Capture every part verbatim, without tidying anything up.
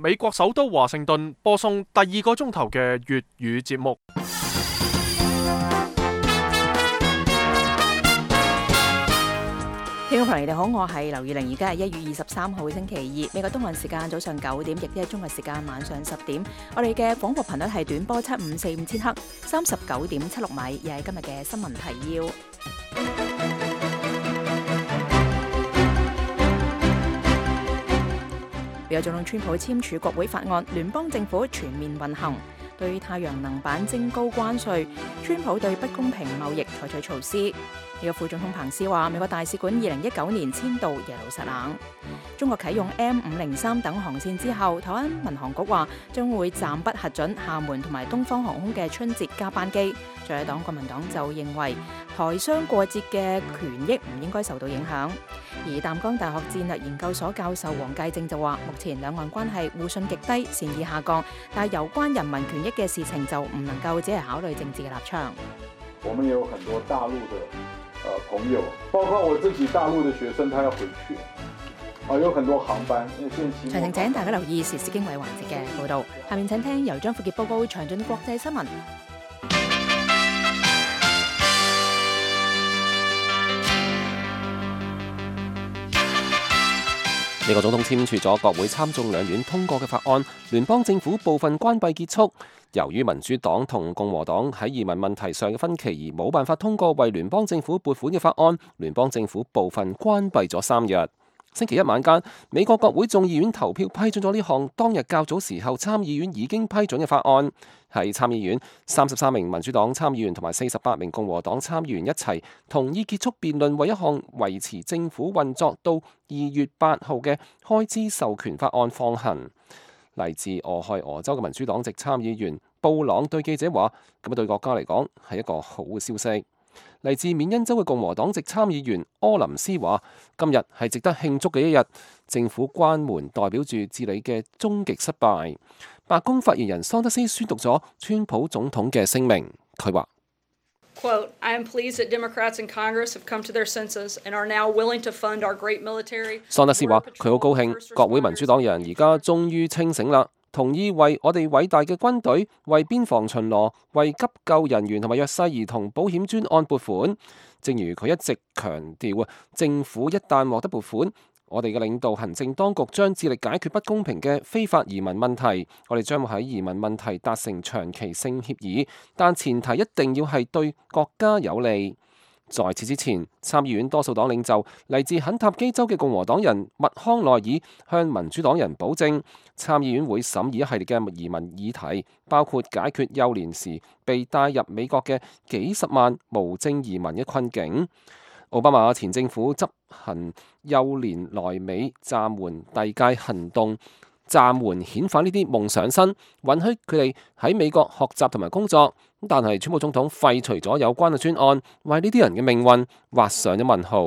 美國首都華盛頓播送第二個鐘頭嘅粵語節目。聽眾朋友你好，我係劉以玲，而家係一月二十三號星期二，美國東岸時間早上九點，亦即係中國時間晚上十點。我哋嘅廣播頻率係短波七五四五千赫，三十九點七六米，又係今日嘅新聞提要。美國總統川普簽署國會法案，聯邦政府全面運行，對太陽能板徵高關稅。川普對不公平貿易採取措施。美國副總統彭斯話，美國大使館二零一九年遷到耶路撒冷。中國啟用 M 五零三等航線之後，台灣民航局話將會暫不核准廈門同埋東方航空嘅春節加班機。在野黨國民黨就認為台商過節嘅權益唔應該受到影響。而淡江大學戰略研究所教授黃介正就話，目前兩岸關係互信極低，善意下降，但係有關人民權益嘅事情就唔能夠只係考慮政治嘅立場。我們也有很多大陸的呃朋友，包括我自己大陸的學生，他要回去，啊，有很多航班。詳情請大家留意時事經緯環節嘅報導。下面請聽由張富傑報告詳盡國際新聞。美國總統簽署咗國會參眾兩院通過嘅法案，聯邦政府部分關閉結束。由於民主黨同共和黨喺移民問題上嘅分歧而冇辦法通過為聯邦政府撥款嘅法案，聯邦政府部分關閉咗三日。星期一晚間，美國國會眾議院投票批准咗呢項當日較早時候參議院已經批准嘅法案。喺參議院，三十三名民主黨參議員同埋四十八名共和黨參議員一齊同意結束辯論，為一項維持政府運作到二月八號嘅開支授權法案放行。嚟自俄亥俄州嘅民主黨籍參議員布朗對記者話：咁啊對國家嚟講係一個好嘅消息。嚟自緬因州嘅共和黨籍參議員柯林斯話：今日係值得慶祝嘅一日，政府關門代表住治理嘅終極失敗。白宮發言人桑德斯宣讀咗川普總統嘅聲明，佢話：Quote, I am pleased that Democrats in Congress have come to their senses and are now willing to fund our great military. 桑德斯話：佢好高興，國會民主黨人而家終於清醒啦，同意為我哋偉大嘅軍隊、為邊防巡邏、為急救人員同埋弱勢兒童保險專案撥款。正如佢一直強調啊，政府一旦獲得撥款，我哋嘅領導行政當局將致力解決不公平嘅非法移民問題。我哋將會喺移民問題達成長期性協議，但前提一定要係對國家有利。在此之前，參議院多數黨領袖嚟自肯塔基州嘅共和黨人麥康奈爾向民主黨人保證，參議院會審議一系列嘅移民議題，包括解決幼年時被帶入美國嘅幾十萬無證移民嘅困境。奧巴馬前政府執行幼年來美暫緩遞解行動，暫緩遣返呢啲夢想生，允許佢哋喺美國學習同埋工作。但係川普總統廢除咗有關嘅專案，為呢啲人嘅命運畫上咗問號。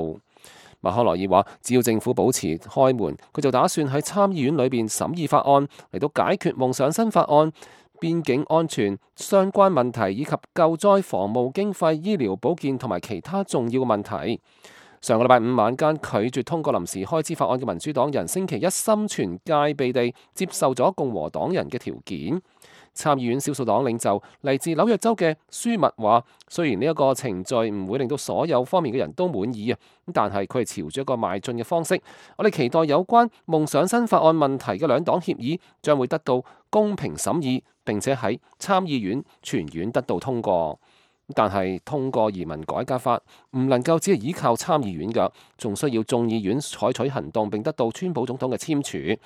麥康奈爾話：只要政府保持開門，佢就打算喺參議院裏邊審議法案，嚟到解決夢想生法案、邊境安全相關問題以及救災防務經費、醫療保健同埋其他重要嘅問題。上個禮拜五晚間拒絕通過臨時開支法案嘅民主黨人，星期一心存戒備地接受咗共和黨人嘅條件。參議院少數黨領袖嚟自紐約州嘅舒密話：雖然呢一個程序唔會令到所有方面嘅人都滿意啊，但係佢係朝住一個邁進嘅方式。我哋期待有關夢想新法案問題嘅兩黨協議將會得到公平審議，並且喺參議院全院得到通過。但係通過移民改革法唔能夠只係依靠參議院㗎，仲需要眾議院採取行動並得到川普總統嘅簽署。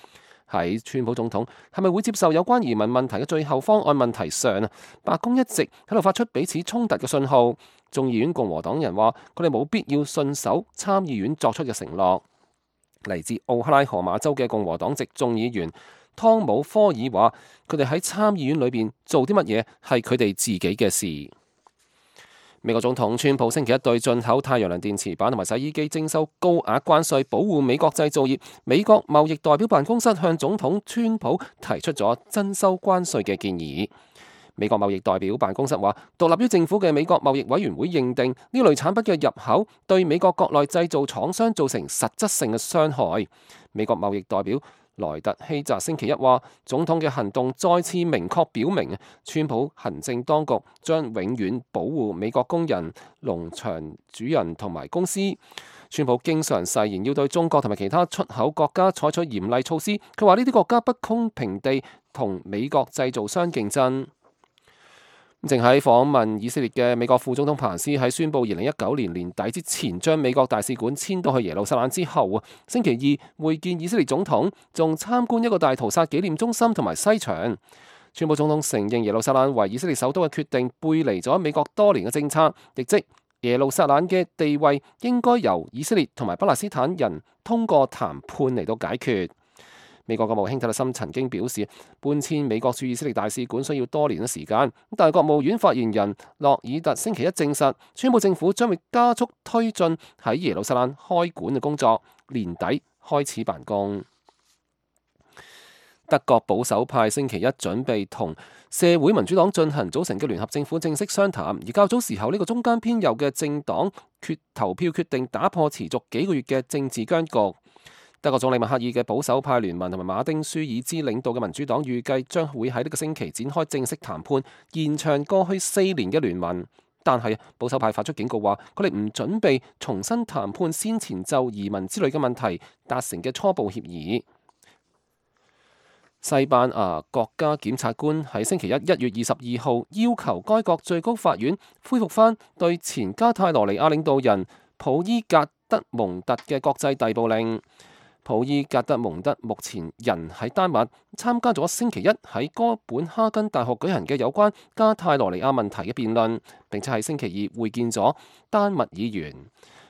喺川普總統係咪會接受有關移民問題嘅最後方案問題上啊，白宮一直喺度發出彼此衝突嘅信號。眾議院共和黨人話佢哋冇必要信守參議院作出嘅承諾。嚟自奧克拉荷馬州嘅共和黨籍眾議員湯姆科爾話：佢哋喺參議院裏邊做啲乜嘢係佢哋自己嘅事。美國總統川普星期一對進口太陽能電池板同埋洗衣機徵收高額關稅，保護美國製造業。美國貿易代表辦公室向總統川普提出咗增收關稅嘅建議。美國貿易代表辦公室話，獨立於政府嘅美國貿易委員會認定呢類產品嘅入口對美國國內製造廠商造成實質性嘅傷害。美國貿易代表萊特希澤星期一話，總統嘅行動再次明確表明，川普行政當局將永遠保護美國工人、農場主人同埋公司。川普經常誓言要對中國同埋其他出口國家採取嚴厲措施，佢話呢啲國家不公平地同美國製造商競爭。正喺訪問以色列嘅美國副總統彭斯喺宣布二零一九年年底之前將美國大使館遷到去耶路撒冷之後啊，星期二會見以色列總統，仲參觀一個大屠殺紀念中心同埋西牆。川普總統承認耶路撒冷為以色列首都嘅決定背離咗美國多年嘅政策，亦即耶路撒冷嘅地位應該由以色列同埋巴勒斯坦人通過談判嚟到解決。美國國務卿特勒森曾經表示，搬遷美國駐以色列大使館需要多年嘅時間。但係國務院發言人洛爾特星期一證實，川普政府將會加速推進喺耶路撒冷開館嘅工作，年底開始辦公。德國保守派星期一準備同社會民主黨進行組成嘅聯合政府正式商談，而較早時候呢個中間偏右嘅政黨決投票決定打破持續幾個月嘅政治僵局。德國總理默克爾嘅保守派聯盟同埋馬丁舒爾茲領導嘅民主黨預計將會喺呢個星期展開正式談判，延長過去四年嘅聯盟。但係保守派發出警告話，佢哋唔準備重新談判先前就移民之類嘅問題達成嘅初步協議。西班牙國家檢察官喺星期一一月二十二號要求該國最高法院恢復返對前加泰羅尼亞領導人普伊格德蒙特嘅國際逮捕令。普伊格德蒙特目前人喺丹麥，參加咗星期一喺哥本哈根大學舉行嘅有關加泰羅尼亞問題嘅辯論，並且喺星期二會見咗丹麥議員。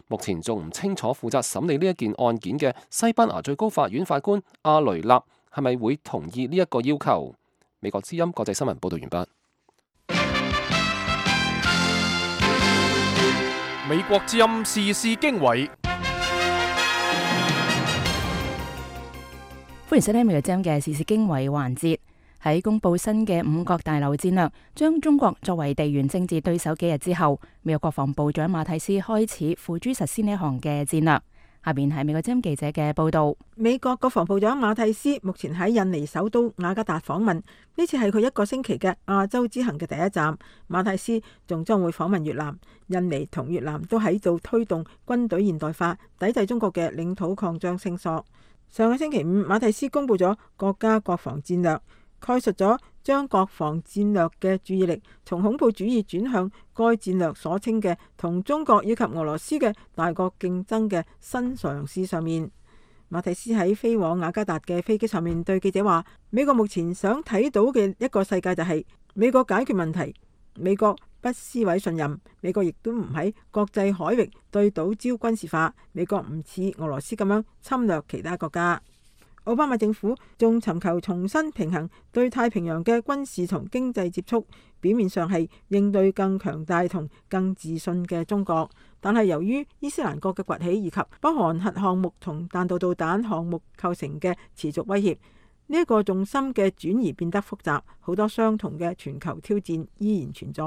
目前仲唔清楚負責審理呢一件案件嘅西班牙最高法院法官阿雷納係咪會同意呢一個要求？美國之音國際新聞報道完畢。美國之音時事經緯。歡迎收聽美國之音嘅時事經緯環節。喺公布新嘅五角大樓戰略，將中國作為地緣政治對手幾日之後，美國國防部長馬蒂斯開始付諸實施呢一項嘅戰略。下邊係美國之音記者嘅報道。美國國防部長馬蒂斯目前喺印尼首都雅加達訪問，呢次係佢一個星期嘅亞洲之行嘅第一站。馬蒂斯仲將會訪問越南。印尼同越南都喺度推動軍隊現代化，抵制中國嘅領土擴張聲索。上個星期五，馬蒂斯公布咗國家國防戰略，概述咗將國防戰略嘅注意力從恐怖主義轉向該戰略所稱嘅同中國以及俄羅斯嘅大國競爭嘅新嘗試上面。馬蒂斯喺飛往雅加達嘅飛機上面對記者話：美國目前想睇到嘅一個世界就係美國解決問題，美國不撕毀信任，美國亦都唔喺國際海域對島礁軍事化，美國唔似俄羅斯咁樣侵略其他國家。奧巴馬政府仲尋求重新平衡對太平洋嘅軍事同經濟接觸，表面上係應對更強大同更自信嘅中國，但係由於伊斯蘭國嘅崛起以及北韓核項目同彈道導彈項目構成嘅持續威脅，呢一個重心嘅轉移變得複雜，好多相同嘅全球挑戰依然存在。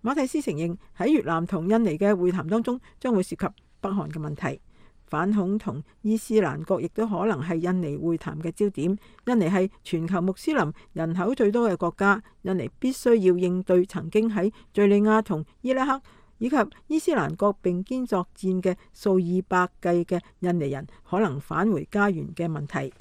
馬蒂斯承認喺越南同印尼嘅會談當中將會涉及北韓嘅問題，反恐同伊斯蘭國亦都可能係印尼會談嘅焦點。印尼係全球穆斯林人口最多嘅國家，印尼必須要應對曾經喺敘利亞同伊拉克以及伊斯蘭國並肩作戰嘅數以百計嘅印尼人可能返回家園嘅問題。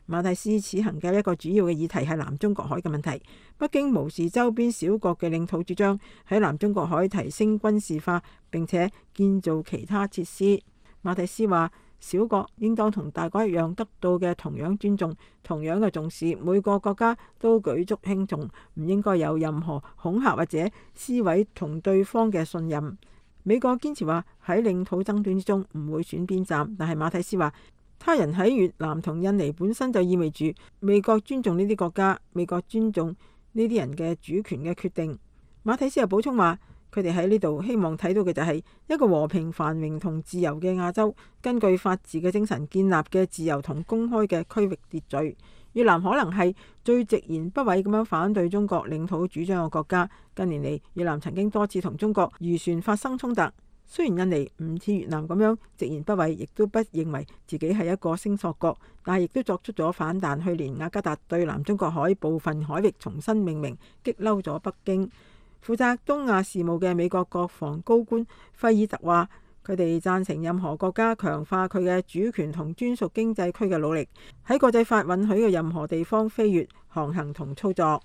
馬蒂斯此行嘅一個主要嘅議題係南中國海嘅問題。北京無視周邊小國嘅領土主張，喺南中國海提升軍事化並且建造其他設施。馬蒂斯話：小國應當同大國一樣得到嘅同樣尊重，同樣嘅重視，每個國家都舉足輕重，唔應該有任何恐嚇或者撕毀同對方嘅信任。美國堅持話喺領土爭端之中唔會選邊站，但係馬蒂斯話，他人喺越南同印尼本身就意味住美國尊重呢啲國家，美國尊重呢啲人嘅主權嘅決定。馬蒂斯又補充話，佢哋喺呢度希望睇到嘅就係一個和平繁榮同自由嘅亞洲，根據法治嘅精神建立嘅自由同公開嘅區域秩序。越南可能係最直言不諱咁樣反對中國領土主張嘅國家。近年嚟，越南曾經多次同中國漁船發生衝突。雖然印尼唔似越南咁樣直言不諱，亦都不認為自己係一個聲索國，但係亦都作出咗反彈。去年雅加達對南中國海部分海域重新命名，激嬲咗北京。負責東亞事務嘅美國國防高官費爾特話，佢哋贊成任何國家強化佢嘅主權同專屬經濟區嘅努力，喺國際法允許嘅任何地方飛越、航行同操作。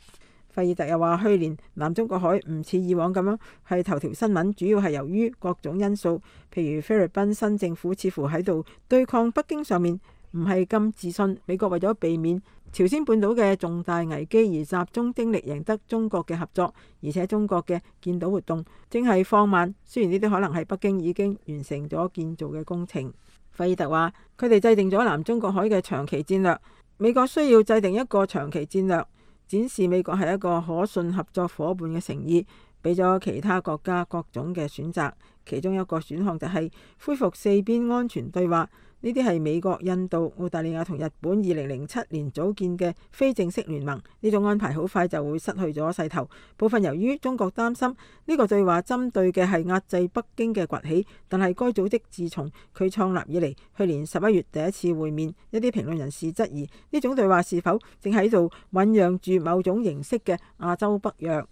費爾特又話，去年南中國海唔似以往咁樣係頭條新聞，主要係由於各種因素，譬如菲律賓新政府似乎喺度對抗北京上面唔係咁自信。美國為咗避免朝鮮半島嘅重大危機而集中精力贏得中國嘅合作，而且中國嘅建島活動正係放慢。雖然呢啲可能係北京已經完成咗建造嘅工程。費爾特話，佢哋制定咗南中國海嘅長期戰略，美國需要制定一個長期戰略，展示美國係一個可信合作伙伴嘅誠意，俾咗其他國家各種嘅選擇。其中一個選項就係恢復四邊安全對話。呢啲係美國、印度、澳大利亞同日本二零零七年組建嘅非正式聯盟。呢種安排好快就會失去咗勢頭，部分由於中國擔心呢個對話針對嘅係壓制北京嘅崛起。但係該組織自從佢創立以嚟，去年十一月第一次會面，一啲評論人士質疑呢種對話是否正喺度醖釀住某種形式嘅亞洲北約。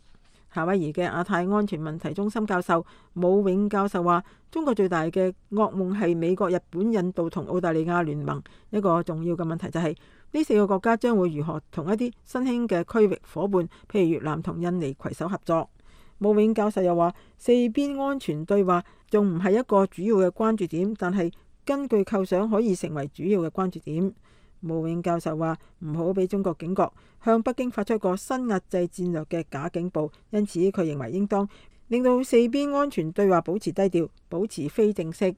夏威夷嘅亞太安全問題中心教授武永教授話，中國最大嘅噩夢係美國、日本、印度同澳大利亞聯盟。一個重要嘅問題就係、是、呢四個國家將會如何同一啲新興嘅區域伙伴，譬如越南同印尼攜手合作。武永教授又話，四邊安全對話仲唔係一個主要嘅關注點，但係根據構想可以成為主要嘅關注點。武永教授話，唔好俾中國警覺，向北京發出一個新壓制戰略嘅假警報。因此佢認為應當令到四邊安全對話保持低調，保持非正式。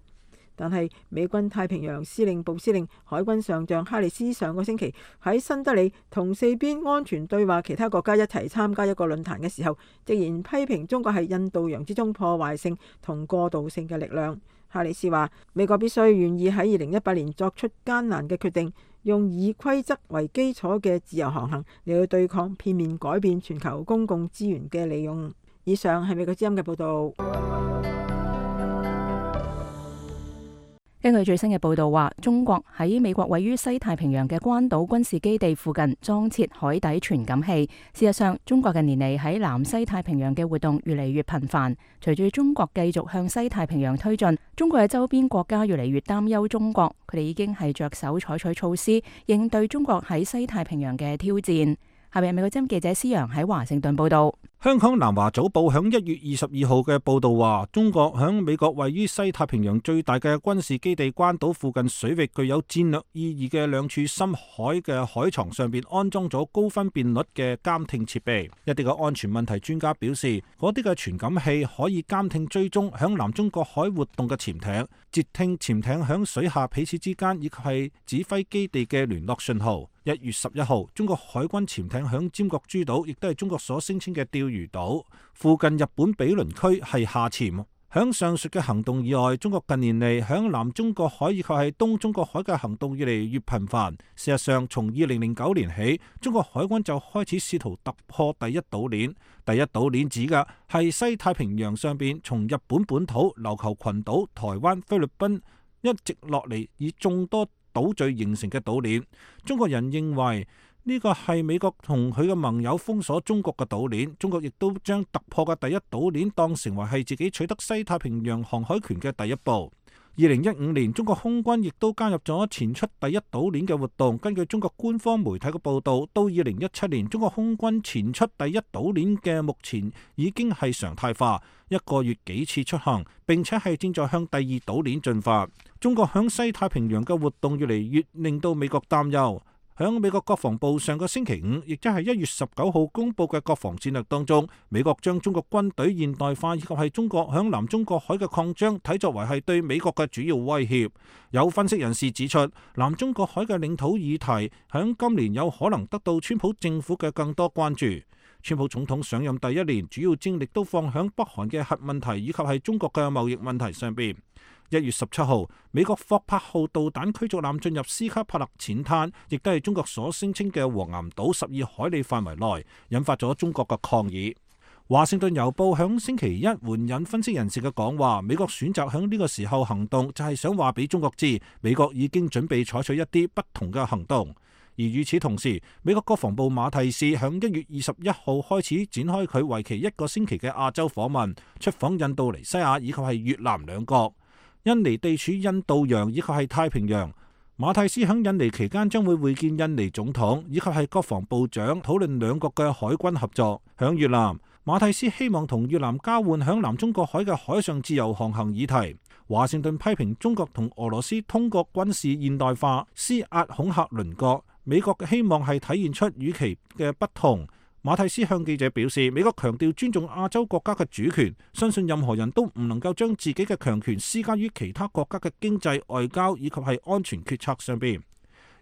但係美軍太平洋司令部司令海軍上將哈里斯上個星期喺新德里同四邊安全對話其他國家一齊參加一個論壇嘅時候，直言批評中國係印度洋之中破壞性同過渡性嘅力量。哈里斯話，美國必須願意喺二零一八年作出艱難嘅決定，用以規則為基礎嘅自由航行嚟去對抗片面改變全球公共資源嘅利用。以上係美國之音嘅報導。根據最新嘅報道話，中國喺美國位於西太平洋嘅關島軍事基地附近裝設海底傳感器。事實上，中國近年嚟喺南西太平洋嘅活動越嚟越頻繁。隨住中國繼續向西太平洋推進，中國嘅周邊國家越嚟越擔憂中國，佢哋已經係着手採取措施應對中國喺西太平洋嘅挑戰。下面美國之音記者施洋喺華盛頓報道。香港南華早報響一月二十二號嘅報道話，中國響美國位於西太平洋最大嘅軍事基地關島附近水域具有戰略意義嘅兩處深海嘅海床上邊安裝咗高分辨率嘅監聽設備。一啲嘅安全問題專家表示，嗰啲嘅傳感器可以監聽追蹤響南中國海活動嘅潛艇，截聽潛艇響水下彼此之間以及係指揮基地嘅聯絡信號。一月十一號，中國海軍潛艇響尖閣諸島，亦都係中國所聲稱嘅釣魚島附近日本毗鄰區係下潛。響上述嘅行動以外，中國近年嚟響南中國海以及係東中國海嘅行動越嚟越頻繁。事實上，從二零零九年起，中國海軍就開始試圖突破第一島鏈。第一島鏈指嘅係西太平洋上邊從日本本土、琉球群島、台灣、菲律賓一直落嚟以眾多島嶼形成嘅島鏈。中國人認為呢個係美國同佢嘅盟友封鎖中國嘅島鏈，中國亦都將突破嘅第一島鏈當成為係自己取得西太平洋航海權嘅第一步。二零一五年，中國空軍亦都加入咗前出第一島鏈嘅活動。根據中國官方媒體嘅報道，到二零一七年，中國空軍前出第一島鏈嘅目前已經係常態化，一個月幾次出行，並且係正在向第二島鏈進發。中國響西太平洋嘅活動越嚟越令到美國擔憂。響美國國防部上個星期五，亦即係一月十九號公布嘅國防戰略當中，美國將中國軍隊現代化以及係中國響南中國海嘅擴張睇作為係對美國嘅主要威脅。有分析人士指出，南中國海嘅領土議題響今年有可能得到川普政府嘅更多關注。川普總統上任第一年，主要精力都放響北韓嘅核問題以及係中國嘅貿易問題上邊。一月十七號，美國霍柏號導彈驅逐艦進入斯卡帕勒淺灘，亦都係中國所聲稱嘅黃岩島十二海里範圍內，引發咗中國嘅抗議。華盛頓郵報響星期一援引分析人士嘅講話，美國選擇響呢個時候行動，就係想話俾中國知，美國已經準備採取一啲不同嘅行動。而與此同時，美國國防部馬蒂斯響一月二十一號開始展開佢為期一個星期嘅亞洲訪問，出訪印度尼西亞以及係越南兩國。印尼地處印度洋以及係太平洋。馬蒂斯響印尼期間將會會見印尼總統以及係國防部長，討論兩國嘅海軍合作。響越南，馬蒂斯希望同越南交換響南中國海嘅海上自由航行議題。華盛頓批評中國同俄羅斯通過軍事現代化施壓恐嚇鄰國，美國嘅希望係體現出與其嘅不同。馬蒂斯向記者表示，美國強調尊重亞洲國家嘅主權，相信任何人都唔能夠將自己嘅強權施加於其他國家嘅經濟、外交以及係安全決策上邊。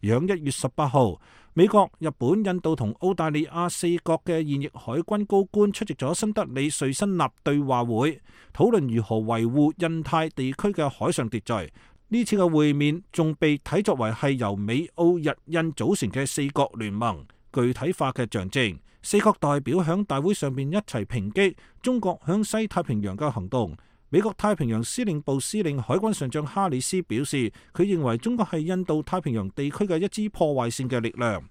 而響一月十八號，美國、日本、印度同澳大利亞四國嘅現役海軍高官出席咗新德里瑞辛納對話會，討論如何維護印太地區嘅海上秩序。呢次嘅會面仲被睇作為係由美、澳、日、印組成嘅四國聯盟具體化嘅象徵。四國代表響大會上面一齊抨擊中國響西太平洋嘅行動。美國太平洋司令部司令海軍上將哈里斯表示，佢認為中國係印度太平洋地區嘅一支破壞性嘅力量。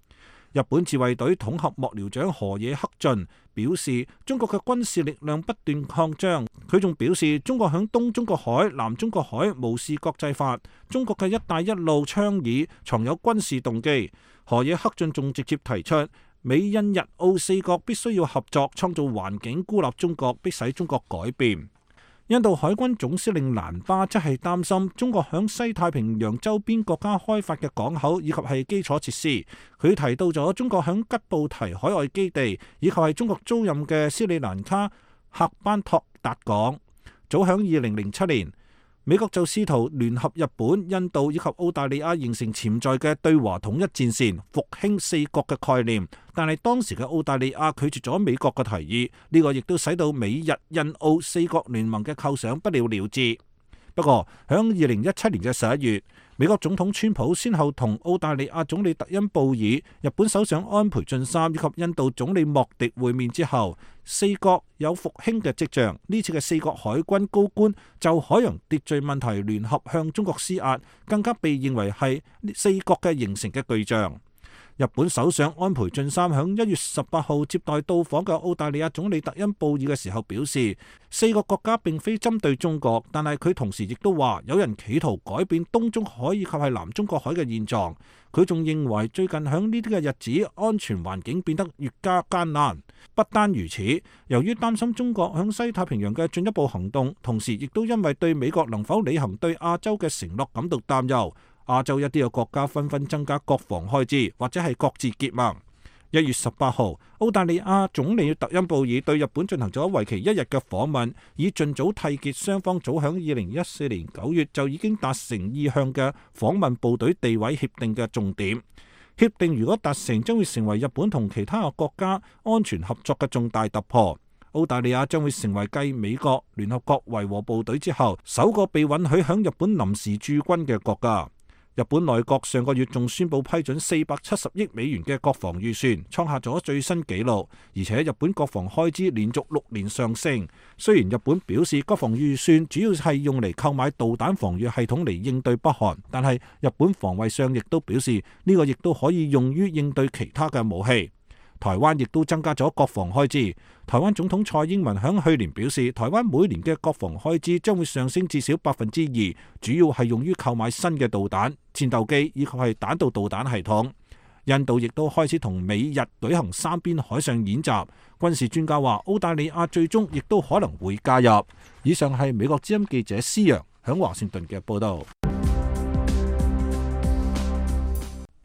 日本自衛隊統合幕僚長河野克俊表示，中國嘅軍事力量不斷擴張。佢仲表示，中國響東中國海、南中國海無視國際法，中國嘅一帶一路倡議藏有軍事動機。河野克俊仲直接提出，美印日澳四國必須要合作，創造環境孤立中國，迫使中國改變。印度海軍總司令蘭巴則係擔心中國響西太平洋周邊國家開發嘅港口以及係基礎設施。佢提到咗中國響吉布提海外基地以及係中國租賃嘅斯里蘭卡喀班托達港。早響二零零七年，美國就試圖聯合日本、印度以及澳大利亞形成潛在嘅對華統一戰線，復興四國嘅概念。但係當時嘅澳大利亞拒絕咗美國嘅提議，呢個亦都使到美日印澳四國聯盟嘅構想不了了之。不過響二零一七年嘅十一月，美國總統川普先後同澳大利亞總理特恩布爾、日本首相安倍晉三以及印度總理莫迪會面之後，四國有復興嘅跡象。呢次嘅四國海軍高官就海洋秩序問題聯合向中國施壓，更加被認為係四國嘅形成嘅巨象。日本首相安倍晉三響一月十八號接待到訪嘅澳大利亞總理特恩布爾嘅時候表示，四個國家並非針對中國，但係佢同時亦都話有人企圖改變東中海以及係南中國海嘅現狀。佢仲認為最近響呢啲嘅日子，安全環境變得越加艱難。不單如此，由於擔心中國響西太平洋嘅進一步行動，同時亦都因為對美國能否履行對亞洲嘅承諾感到擔憂。亞洲一啲嘅國家紛紛增加國防開支，或者係各自結盟。一月十八號，澳大利亞總理特恩布爾對日本進行咗為期一日嘅訪問，以盡早締結雙方早響二零一四年九月就已經達成意向嘅訪問部隊地位協定嘅重點。協定如果達成，將會成為日本同其他嘅國家安全合作嘅重大突破。澳大利亞將會成為繼美國、聯合國維和部隊之後，首個被允許響日本臨時駐軍嘅國家。日本內閣上個月仲宣布批准四百七十億美元嘅國防預算，創下咗最新紀錄。而且日本國防開支連續六年上升。雖然日本表示國防預算主要係用嚟購買導彈防禦系統嚟應對北韓，但係日本防衛相亦都表示呢個亦都可以用於應對其他嘅武器。台灣亦都增加咗國防開支。台灣總統蔡英文響去年表示，台灣每年嘅國防開支將會上升至少百分之二，主要係用於購買新嘅導彈、戰鬥機以及係彈道導彈系統。印度亦都開始同美日舉行三邊海上演習。軍事專家話，澳大利亞最終亦都可能會加入。以上係美國之音記者施洋響華盛頓嘅報道。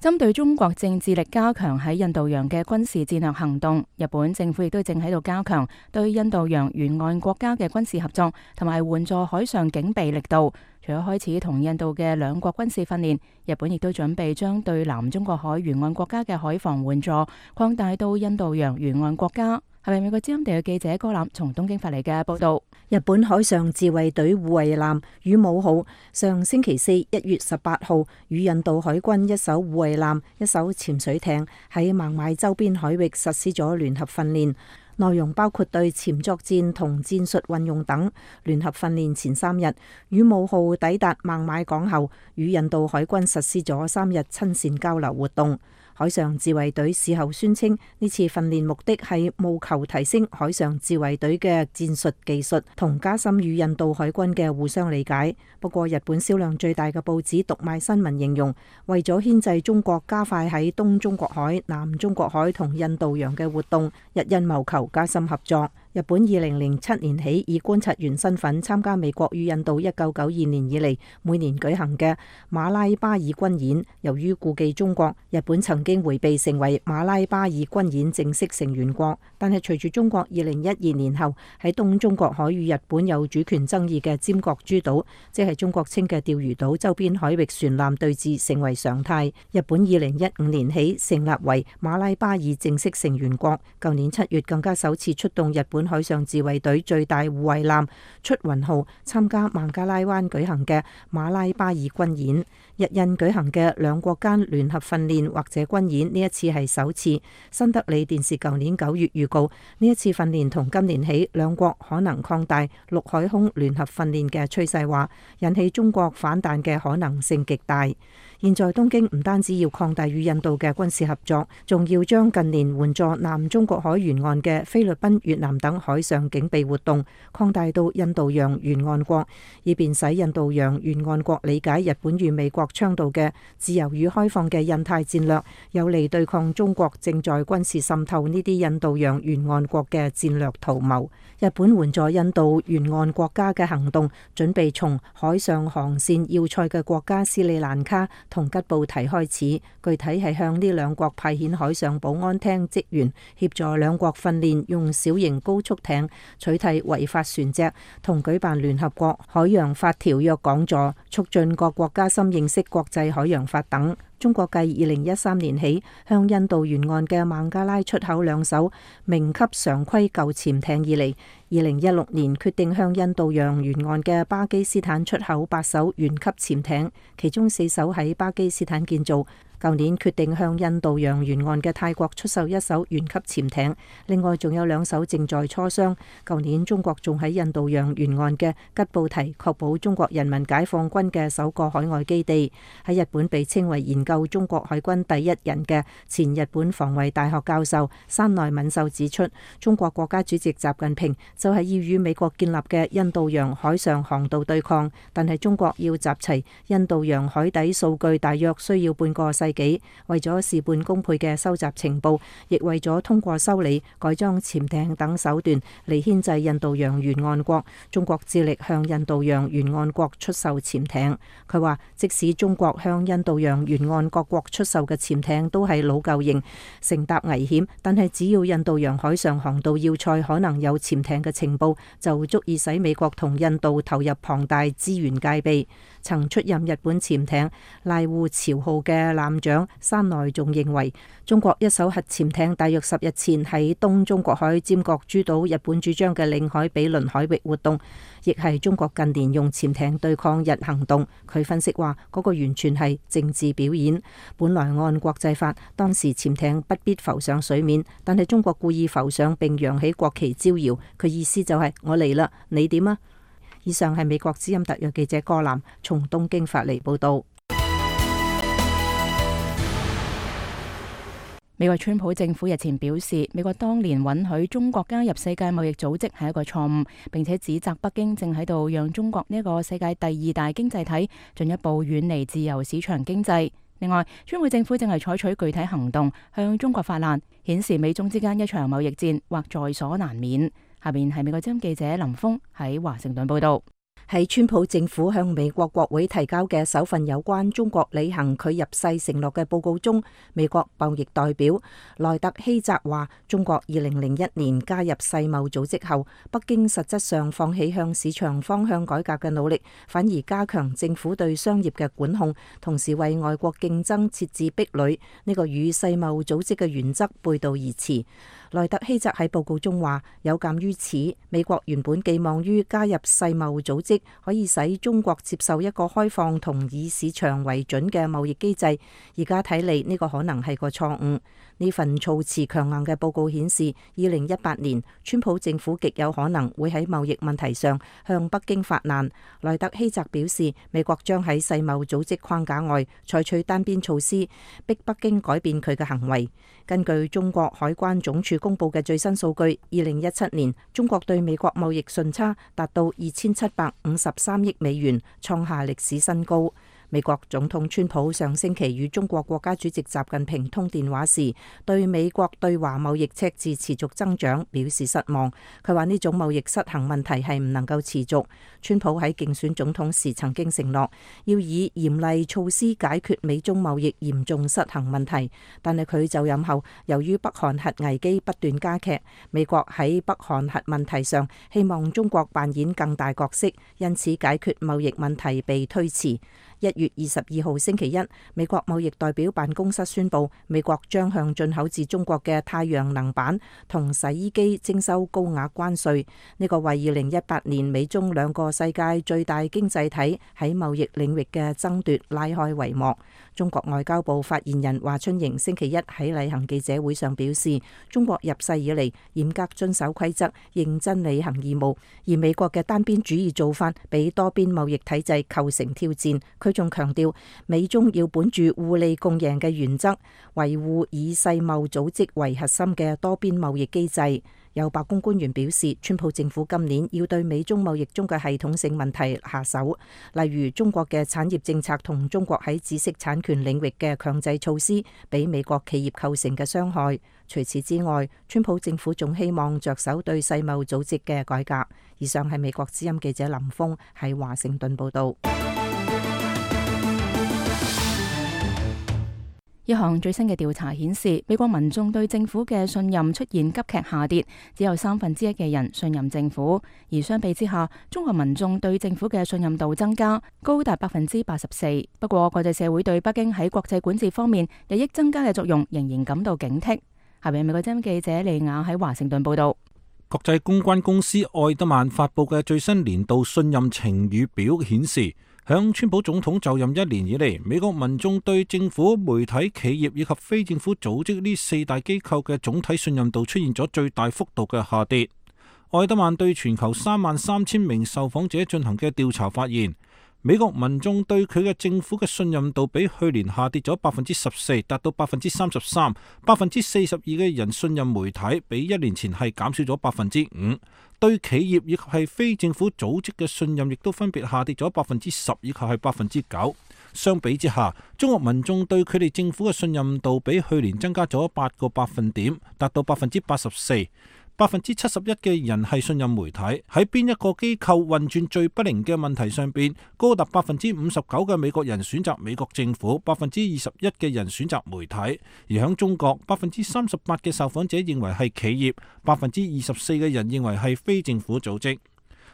針對中國正致力加強喺印度洋嘅軍事戰略行動，日本政府亦都正喺度加強對印度洋沿岸國家嘅軍事合作，同埋援助海上警備力度。除咗開始同印度嘅兩國軍事訓練，日本亦都準備將對南中國海沿岸國家嘅海防援助擴大到印度洋沿岸國家。係咪美國之音地嘅記者高覽從東京發嚟嘅報道？日本海上自衛隊護衛艦羽毛號上星期四一月十八號與印度海軍一艘護衛艦、一艘潛水艇喺孟買周邊海域實施咗聯合訓練。內容包括對潛作戰同戰術運用等。聯合訓練前三日，羽毛號抵達孟買港後，與印度海軍實施咗三日親善交流活動。海上自衛隊事後宣稱，呢次訓練目的係務求提升海上自衛隊嘅戰術技術，同加深與印度海軍嘅互相理解。不過，日本銷量最大嘅報紙讀賣新聞形容，為咗牽制中國加快喺東中國海、南中國海同印度洋嘅活動，日印謀求加深合作。日本二零零七年起以觀察員身份參加美國與印度一九九二年以嚟每年舉行嘅馬拉巴爾軍演。由於顧忌中國，日本曾經迴避成為馬拉巴爾軍演正式成員國。但係隨住中國二零一二年後喺東中國海與日本有主權爭議嘅尖閣諸島，即係中國稱嘅釣魚島周邊海域船艦對峙成為常態。日本二零一五年起成立為馬拉巴爾正式成員國，舊年七月更加首次出動日本海上自衛隊最大護衛艦出雲號參加孟加拉灣舉行嘅馬拉巴爾軍演。日印舉行嘅兩國間聯合訓練或者軍演，呢一次係首次。新德里電視舊年九月預告，呢一次訓練同今年起兩國可能擴大陸海空聯合訓練嘅趨勢，話引起中國反彈嘅可能性極大。現在東京唔單止要擴大與印度嘅軍事合作，仲要將近年援助南中國海沿岸嘅菲律賓、越南等海上警備活動擴大到印度洋沿岸國，以便使印度洋沿岸國理解日本與美國倡導嘅自由與開放嘅印太戰略，有利對抗中國正在軍事滲透呢啲印度洋沿岸國嘅戰略圖謀。日本援助印度沿岸國家嘅行動，準備從海上航線要塞嘅國家斯里蘭卡同吉布提開始，具體係向呢兩國派遣海上保安廳職員，協助兩國訓練用小型高速艇取締違法船隻，同舉辦聯合國海洋法條約講座，促進各國加深認識國際海洋法等。中國繼二零一三年起向印度沿岸嘅孟加拉出口兩艘明級常規舊潛艇以嚟，二零一六年決定向印度洋沿岸嘅巴基斯坦出口八艘原級潛艇，其中四艘喺巴基斯坦建造。舊年決定向印度洋沿岸嘅泰國出售一艘原級潛艇，另外仲有兩艘正在磋商。舊年中國仲喺印度洋沿岸嘅吉布提確保中國人民解放軍嘅首個海外基地。喺日本被稱為研究中國海軍第一人嘅前日本防衛大學教授山內敏秀指出，中國國家主席習近平就係要與美國建立嘅印度洋海上航道對抗，但係中國要集齊印度洋海底數據大約需要半個世紀。為咗事半功倍嘅收集情報，亦為咗通過修理、改裝潛艇等手段嚟牽制印度洋沿岸國，中國致力向印度洋沿岸國出售潛艇。佢話，即使中國向印度洋沿岸各國出售嘅潛艇都係老舊型，乘搭危險，但係只要印度洋海上航道要塞可能有潛艇嘅情報，就足以使美國同印度投入龐大資源戒備。曾出任日本潛艇瀨戶朝號嘅艦長山內仲認為，中國一艘核潛艇大約十日前喺東中國海尖閣諸島日本主張嘅領海比鄰海域活動，亦係中國近年用潛艇對抗日行動。佢分析話，嗰個完全係政治表演。本來按國際法，當時潛艇不必浮上水面，但係中國故意浮上並揚起國旗招搖，佢意思就係我嚟啦，你點啊？以上係美國之音特約記者柯南從東京發嚟報道。美國川普政府日前表示，美國當年允許中國加入世界貿易組織係一個錯誤，並且指責北京正喺度讓中國呢一個世界第二大經濟體進一步遠離自由市場經濟。另外，川普政府正係採取具體行動向中國發難，顯示美中之間一場貿易戰或在所難免。下邊係美國之音記者林峰喺華盛頓報道。喺川普政府向美國國會提交嘅首份有關中國履行佢入世承諾嘅報告中，美國貿易代表萊特希澤話，中國二零零一年加入世貿組織後，北京實質上放棄向市場方向改革嘅努力，反而加強政府對商業嘅管控，同時為外國競爭設置壁壘，呢個與世貿組織嘅原則背道而馳。萊特希澤喺報告中話，有鑑於此，美國原本寄望於加入世貿組織可以使中國接受一個開放同以市場為準嘅貿易機制，而家睇嚟呢個可能係個錯誤。呢份措辭強硬嘅報告顯示，二零一八年川普政府極有可能會喺貿易問題上向北京發難。萊特希澤表示，美國將喺世貿組織框架外採取單邊措施，逼北京改變佢嘅行為。根據中國海關總署公布嘅最新數據，二零一七年中國對美國貿易順差達到二千七百五十三億美元，創下歷史新高。美國總統川普上星期與中國國家主席習近平通電話時，對美國對華貿易赤字持續增長表示失望。佢話呢種貿易失衡問題係唔能夠持續。川普喺競選總統時曾經承諾要以嚴厲措施解決美中貿易嚴重失衡問題，但係佢就任後，由於北韓核危機不斷加劇，美國喺北韓核問題上希望中國扮演更大角色，因此解決貿易問題被推遲。一月二十二號星期一，美國貿易代表辦公室宣布，美國將向進口自中國嘅太陽能板同洗衣機徵收高額關稅。呢個為二零一八年美中兩個世界最大經濟體喺貿易領域嘅爭奪拉開帷幕。中國外交部發言人華春瑩星期一喺例行記者會上表示，中國入世以嚟嚴格遵守規則，認真履行義務，而美國嘅單邊主義做法俾多邊貿易體制構成挑戰。佢仲強調，美中要本住互利共贏嘅原則，維護以世貿組織為核心嘅多邊貿易機制。有白宮官員表示，川普政府今年要對美中貿易中嘅系統性問題下手，例如中國嘅產業政策同中國喺知識產權領域嘅強制措施，俾美國企業構成嘅傷害。除此之外，川普政府仲希望着手對世貿組織嘅改革。以上係美國之音記者林峰喺華盛頓報道。一項最新嘅調查顯示，美國民眾對政府嘅信任出現急劇下跌，只有三分之一嘅人信任政府。而相比之下，中國民眾對政府嘅信任度增加，高達百分之八十四。不過，國際社會對北京喺國際管治方面日益增加嘅作用仍然感到警惕。下邊美國之音記者利亞喺華盛頓報道。國際公關公司愛德曼發佈嘅最新年度信任晴雨表顯示，響川普總統就任一年以嚟，美國民眾對政府、媒體、企業以及非政府組織呢四大機構嘅總體信任度出現咗最大幅度嘅下跌。愛德曼對全球三萬三千名受訪者進行嘅調查發現，美國民眾對佢嘅政府嘅信任度比去年下跌咗百分之十四，達到百分之三十三。百分之四十二嘅人信任媒體，比一年前係減少咗百分之五。對企業以及係非政府組織嘅信任亦都分別下跌咗百分之十以及係百分之九。相比之下，中國民眾對佢哋政府嘅信任度比去年增加咗八個百分點，達到百分之八十四。百分之七十一嘅人係信任媒體，喺邊一個機構運轉最不靈嘅問題上邊，高達百分之五十九嘅美國人選擇美國政府，百分之二十一嘅人選擇媒體。而喺中國，百分之三十八嘅受訪者認為係企業，百分之二十四嘅人認為係非政府組織。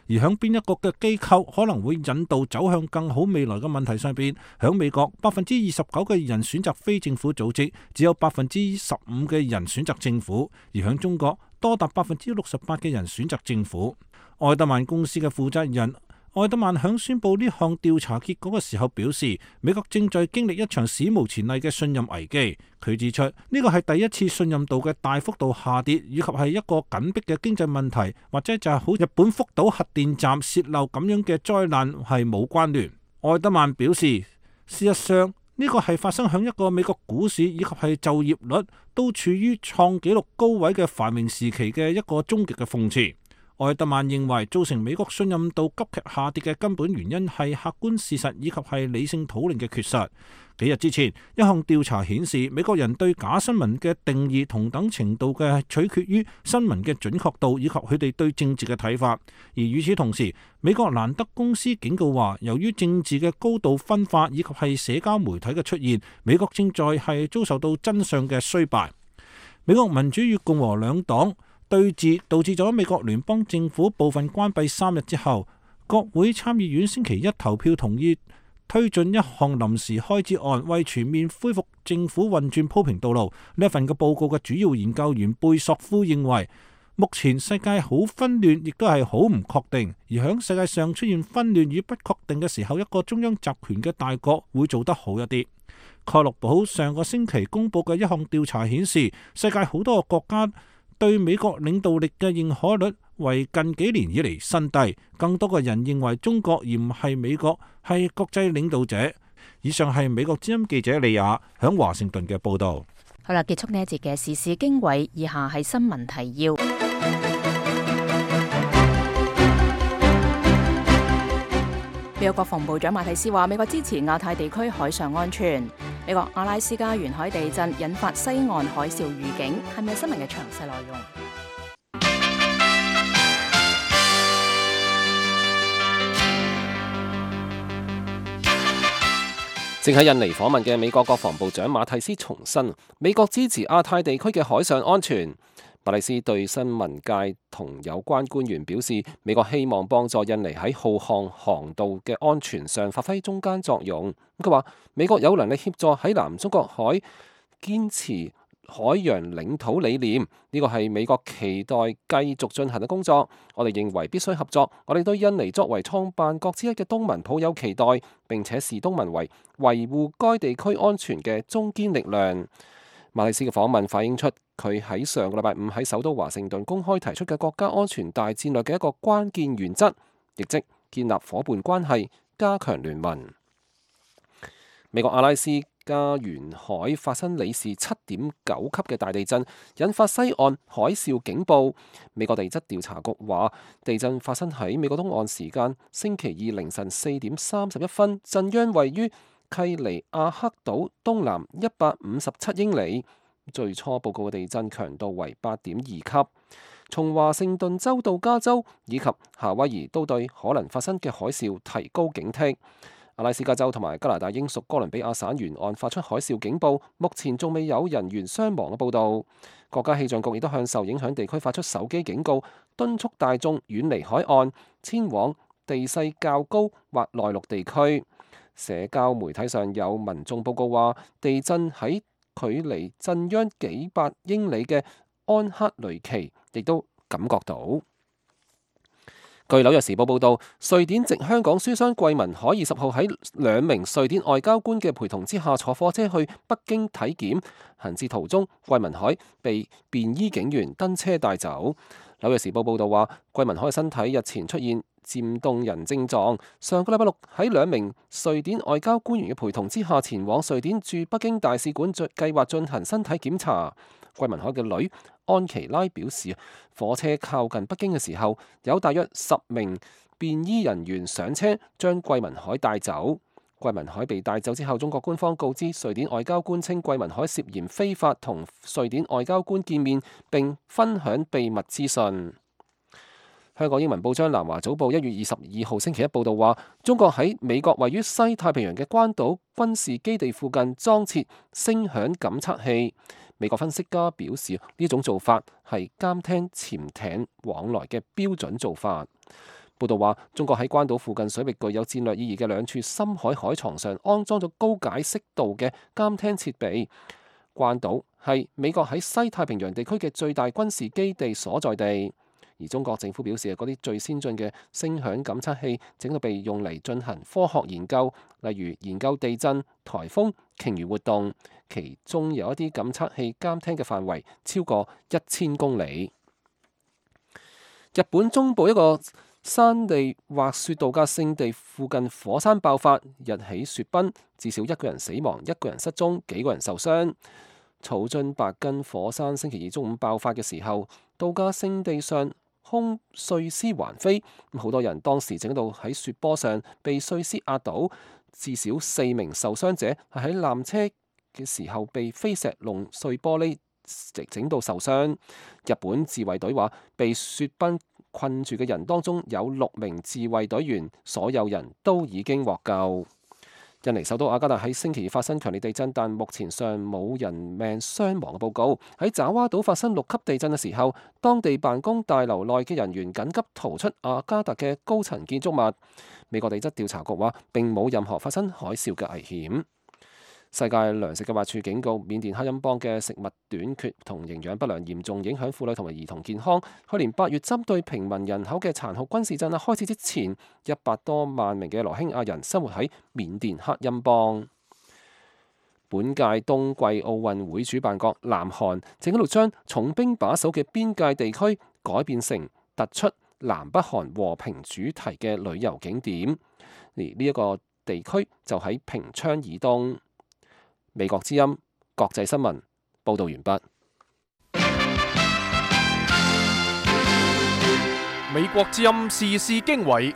而喺邊一個嘅機構可能會引導走向更好未來嘅問題上邊，喺美國百分之二十九嘅人選擇非政府組織，只有百分之十五嘅人選擇政府。而喺中國，多達百分之六十八嘅人選擇政府。愛德曼公司嘅負責人愛德曼響宣布呢項調查結果嘅時候表示，美國正在經歷一場史無前例嘅信任危機。佢指出，呢個係第一次信任度嘅大幅度下跌，以及係一個緊迫嘅經濟問題，或者就係好日本福島核電站洩漏咁樣嘅災難係冇關聯。愛德曼表示，事實上呢個係發生響一個美國股市以及係就業率都處於創紀錄高位嘅繁榮時期嘅一個終極嘅諷刺。愛德曼認為，造成美國信任度急劇下跌嘅根本原因係客觀事實以及係理性討論嘅缺失。幾日之前，一項調查顯示，美國人對假新聞嘅定義同等程度嘅取決於新聞嘅準確度以及佢哋對政治嘅睇法。而與此同時，美國蘭德公司警告話，由於政治嘅高度分化以及係社交媒體嘅出現，美國正在係遭受到真相嘅衰敗。美國民主與共和兩黨對峙導致咗美國聯邦政府部分關閉三日之後，國會參議院星期一投票同意推進一項臨時開支案，為全面恢復政府運轉鋪平道路。呢一份嘅報告嘅主要研究員貝索夫認為，目前世界好紛亂，亦都係好唔確定。而響世界上出現紛亂與不確定嘅時候，一個中央集權嘅大國會做得好一啲。蓋洛普上個星期公佈嘅一項調查顯示，世界好多個國家對美國領導力嘅認可率為近幾年以嚟新低。更多嘅人認為中國而唔係美國係國際領導者。以上係美國之音記者利亞響華盛頓嘅報導。好啦，結束呢一節嘅時事經緯，以下係新聞提要。美國國防部長馬蒂斯話，美國支持亞太地區海上安全。美國阿拉斯加沿海地震引發西岸海嘯預警，係咪新聞嘅詳細內容？正喺印尼訪問嘅美國國防部長馬蒂斯重申，美國支持亞太地區嘅海上安全。馬蒂斯對新聞界同有關官員表示，美國希望幫助印尼喺浩瀚航道嘅安全上發揮中間作用。佢話美國有能力協助喺南中國海堅持海洋領土理念，呢個係美國期待繼續進行嘅工作。我哋認為必須合作。我哋對印尼作為創辦國之一嘅東盟抱有期待，並且視東盟為維護該地區安全嘅中堅力量。馬蒂斯嘅訪問反映出佢喺上個禮拜五喺首都華盛頓公開提出嘅國家安全大戰略嘅一個關鍵原則，亦即建立夥伴關係，加強聯盟。美國阿拉斯加沿海發生里氏七點九級嘅大地震，引發西岸海嘯警報。美國地質調查局話，地震發生喺美國東岸時間星期二凌晨四點三十一分，震央位於契尼亞克島東南一百五十七英里，最初報告嘅地震強度為八點二級。從華盛頓州到加州以及夏威夷都對可能發生嘅海嘯提高警惕。阿拉斯加州同埋加拿大英屬哥倫比亞省沿岸發出海嘯警報，目前仲未有人員傷亡嘅報導。國家氣象局亦都向受影響地區發出手機警告，敦促大眾遠離海岸，遷往地勢較高或內陸地區。社交媒體上有民眾報告話，地震喺距離震央幾百英里嘅安克雷奇亦都感覺到。據紐約時報報導，瑞典籍香港書商桂民海二十號喺兩名瑞典外交官嘅陪同之下坐火車去北京體檢，行至途中，桂民海被便衣警員登車帶走。紐約時報報導話，桂民海嘅身體日前出現漸凍人症狀，上個禮拜六喺兩名瑞典外交官員嘅陪同之下前往瑞典駐北京大使館，計劃進行身體檢查。桂民海嘅女安琪拉表示，火車靠近北京嘅時候，有大約十名便衣人員上車將桂民海帶走。桂民海被帶走之後，中國官方告知瑞典外交官稱，桂民海涉嫌非法同瑞典外交官見面並分享秘密資訊。香港英文報章《南華早報》一月二十二號星期一報導話，中國喺美國位於西太平洋嘅關島軍事基地附近裝設聲響感測器。美國分析家表示，呢種做法係監聽潛艇往來嘅標準做法。報導話，中國喺關島附近水域具有戰略意義嘅兩處深海海床上安裝咗高解析度嘅監聽設備。關島係美國喺西太平洋地區嘅最大軍事基地所在地。而中國政府表示，嗰啲最先進嘅聲響感測器整到被用嚟進行科學研究，例如研究地震、颱風、鯨魚活動。其中有一啲感測器監聽嘅範圍超過一千公里。日本中部一個山地滑雪度假勝地附近火山爆發，日起雪崩，至少一個人死亡，一個人失蹤，幾個人受傷。草津白根火山星期二中午爆發嘅時候，度假勝地上空碎屍橫飛，好多人當時整到喺雪坡上被碎屍壓倒，至少四名受傷者係喺纜車嘅時候被飛石弄碎玻璃，整到受傷。日本自衛隊話，被雪崩困住嘅人當中有六名自衛隊員，所有人都已經獲救。印尼首都雅加達喺星期二發生強烈地震，但目前尚冇人命傷亡嘅報告。喺爪哇島發生六級地震嘅時候，當地辦公大樓內嘅人員緊急逃出雅加達嘅高層建築物。美國地質調查局話並冇任何發生海嘯嘅危險。世界糧食計劃署警告，緬甸克欽邦嘅食物短缺同營養不良嚴重影響婦女同埋兒童健康。去年八月針對平民人口嘅殘酷軍事鎮壓開始之前，一百多萬名嘅羅興亞人生活喺緬甸克欽邦。本屆冬季奧運會主辦國南韓正喺度將重兵把守嘅邊界地區改變成突出南北韓和平主題嘅旅遊景點，而呢一個地區就喺平昌以東。美國之音國際新聞報道完畢。美國之音時事經緯，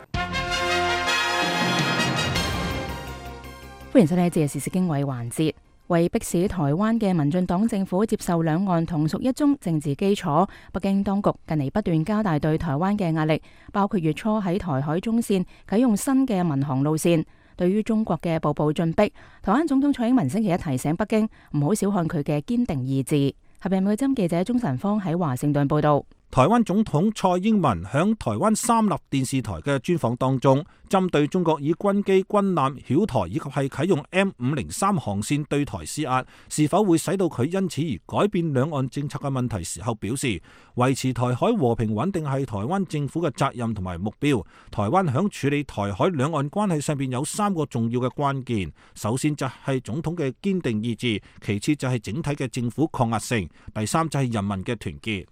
歡迎收聽呢一節嘅時事經緯環節。為迫使台灣嘅民進黨政府接受兩岸同屬一中政治基礎，北京當局近嚟不斷加大對台灣嘅壓力，包括月初喺台海中線啟用新嘅民航路線。對於中國嘅步步進逼，台灣總統蔡英文星期一提醒北京唔好小看佢嘅堅定意志。合併美針記者鍾晨芳喺華盛頓報道。台灣總統蔡英文響台灣三立電視台嘅專訪當中，針對中國以軍機、軍艦繞台以及係啟用 M 五零三航線對台施壓，是否會使到佢因此而改變兩岸政策嘅問題時候表示，維持台海和平穩定係台灣政府嘅責任同埋目標。台灣響處理台海兩岸關係上邊有三個重要嘅關鍵，首先就係總統嘅堅定意志，其次就係整體嘅政府抗壓性，第三就係人民嘅團結。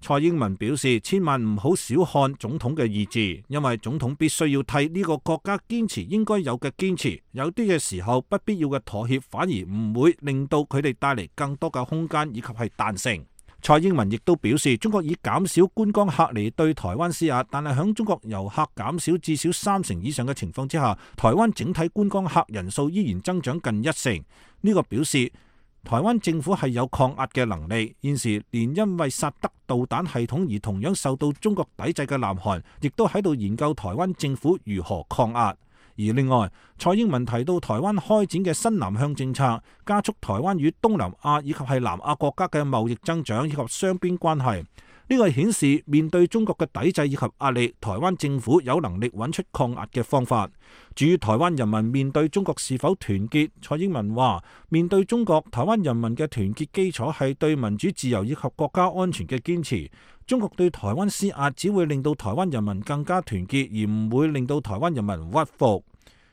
蔡英文表示，千萬唔好小看總統嘅意志，因為總統必須要替呢個國家堅持應該有嘅堅持，有啲嘅時候不必要嘅妥協反而唔會令到佢哋帶嚟更多嘅空間以及係彈性。蔡英文亦都表示，中國以減少觀光客嚟對台灣施壓，但係響中國遊客減少至少三成以上嘅情況之下，台灣整體觀光客人數依然增長近一成。呢個表示台灣政府係有抗壓嘅能力，現時連因為薩德導彈系統而同樣受到中國抵制嘅南韓，亦都喺度研究台灣政府如何抗壓。而另外，蔡英文提到台灣開展嘅新南向政策，加速台灣與東南亞以及係南亞國家嘅貿易增長以及雙邊關係。呢個顯示面對中國嘅抵制以及壓力，台灣政府有能力揾出抗壓嘅方法。至於台灣人民面對中國是否團結，蔡英文話：面對中國，台灣人民嘅團結基礎係對民主自由以及國家安全嘅堅持。中國對台灣施壓，只會令到台灣人民更加團結，而唔會令到台灣人民屈服。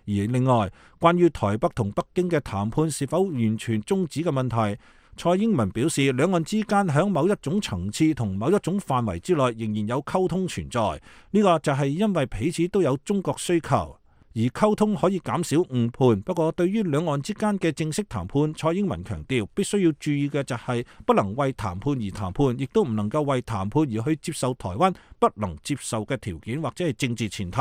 而另外，關於台北同北京嘅談判是否完全終止嘅問題，蔡英文表示，兩岸之間喺某一種層次同某一種範圍之內仍然有溝通存在，呢個就係因為彼此都有中國需求，而溝通可以減少誤判。不過對於兩岸之間嘅正式談判，蔡英文強調必須要注意嘅就係不能為談判而談判，亦都唔能夠為談判而去接受台灣不能接受嘅條件或者係政治前提。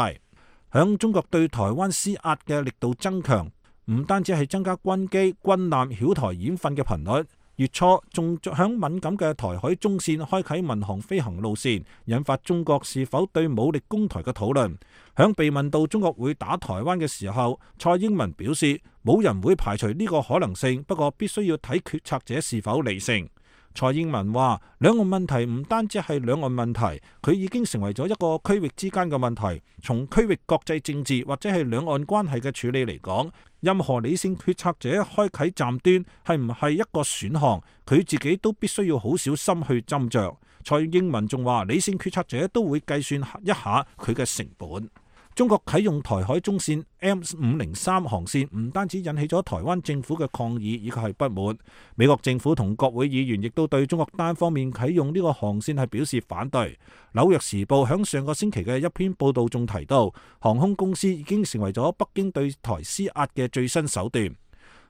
響中國對台灣施壓嘅力度增強，唔單止係增加軍機、軍艦繞台演訓嘅頻率，月初仲響敏感嘅台海中線開啟民航飛行路線，引發中國是否對武力攻台嘅討論。響被問到中國會打台灣嘅時候，蔡英文表示冇人會排除呢個可能性，不過必須要睇決策者是否理性。蔡英文話：兩岸問題唔單止係兩岸問題，佢已經成為咗一個區域之間嘅問題。從區域國際政治或者係兩岸關係嘅處理嚟講，任何理性決策者開啟站端係唔係一個選項，佢自己都必須要好小心去斟酌。蔡英文仲話：理性決策者都會計算一下佢嘅成本。中國啟用台海中線 M 五零三航線，唔單止引起咗台灣政府嘅抗議以及係不滿，美國政府同國會議員亦都對中國單方面啟用呢個航線係表示反對。紐約時報響上個星期嘅一篇報道中提到，航空公司已經成為咗北京對台施壓嘅最新手段。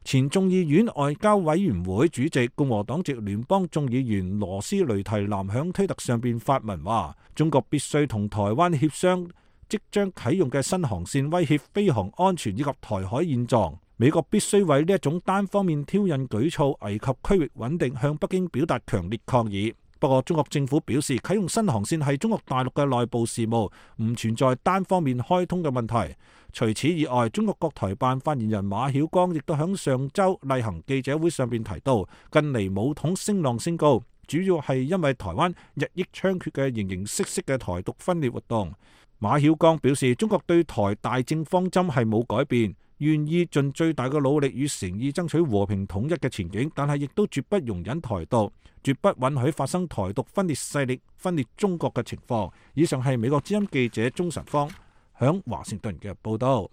前眾議院外交委員會主席共和黨籍聯邦眾議員羅斯雷提南響推特上邊發文話：中國必須同台灣協商即將啟用嘅新航線威脅飛航安全以及台海現狀，美國必須為呢一種單方面挑釁舉措危及區域穩定向北京表達強烈抗議。不過中國政府表示，啟用新航線係中國大陸嘅內部事務，唔存在單方面開通嘅問題。除此以外，中國國台辦發言人馬曉光亦都喺上週例行記者會上邊提到，近嚟武統聲浪升高，主要係因為台灣日益猖獗嘅形形色色嘅台獨分裂活動。馬曉光表示，中國對台大政方針係冇改變，願意盡最大嘅努力與誠意爭取和平統一嘅前景，但係亦都絕不容忍台獨，絕不允許發生台獨分裂勢力分裂中國嘅情況。以上係美國之音記者鍾晨芳響華盛頓嘅報道。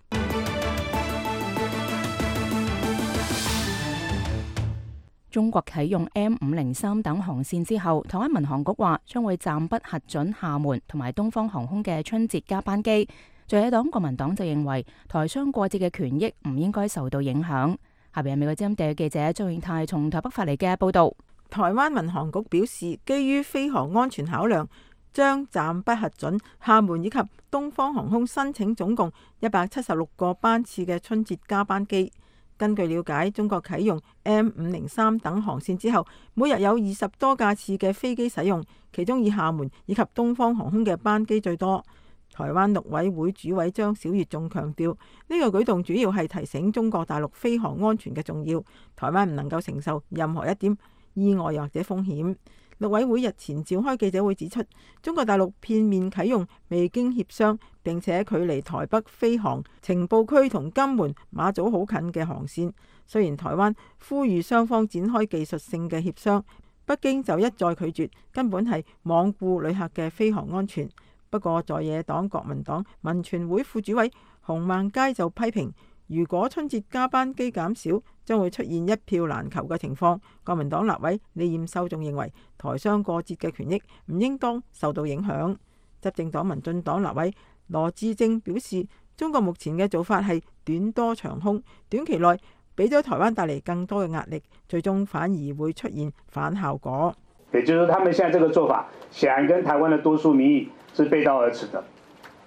中國啟用 M 五零三等航線之後，台灣民航局話將會暫不核准廈門同埋東方航空嘅春節加班機。在野黨國民黨就認為台商過節嘅權益唔應該受到影響。下邊係美國之音地記者張永泰從台北發嚟嘅報道。台灣民航局表示，基於飛航安全考量，將暫不核准廈門以及東方航空申請總共一百七十六個班次嘅春節加班機。根據了解，中國啟用 M 五零三等航線之後，每日有二十多架次嘅飛機使用，其中以廈門以及東方航空嘅班機最多。台灣陸委會主委張曉月仲強調，呢個舉動主要係提醒中國大陸飛航安全嘅重要，台灣唔能夠承受任何一點意外或者風險。陸委會日前召開記者會指出，中國大陸片面啟用未經協商並且距離台北飛航情報區同金門馬祖好近嘅航線。雖然台灣呼籲雙方展開技術性嘅協商，北京就一再拒絕，根本係罔顧旅客嘅飛航安全。不過在野黨國民黨民權會副主委洪孟佳就批評，如果春節加班機減少，將會出現一票難求嘅情況。國民黨立委李彥秀仲認為，台商過節嘅權益唔應當受到影響。執政黨民進黨立委羅致政表示，中國目前嘅做法係短多長空，短期內俾咗台灣帶嚟更多嘅壓力，最終反而會出現反效果。也就是他們現在這個做法，顯然跟台灣的多數民意是背道而馳的。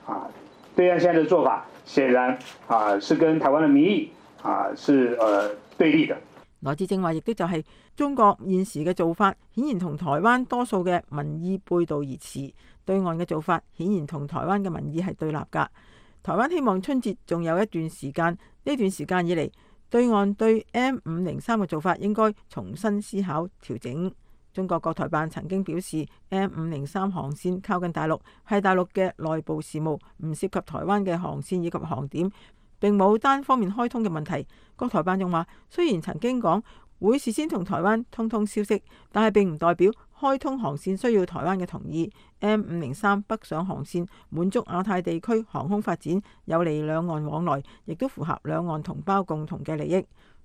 啊，對岸現在的做法，顯然啊是跟台灣的民意啊是呃對立的。羅致政話，亦都就係中國現時嘅做法，顯然同台灣多數嘅民意背道而馳。對岸嘅做法，顯然同台灣嘅民意係對立㗎。台灣希望春節仲有一段時間，呢段時間以嚟，對岸對 M 五零三嘅做法應該重新思考調整。中國國台辦曾經表示 ，M 五零三航線靠近大陸，係大陸嘅內部事務，唔涉及台灣嘅航線以及航點，並冇單方面開通嘅問題。國台辦仲話，雖然曾經講會事先同台灣通通消息，但係並唔代表開通航線需要台灣嘅同意。M 五零三北上航線滿足亞太地區航空發展，有利兩岸往來，亦都符合兩岸同胞共同嘅利益。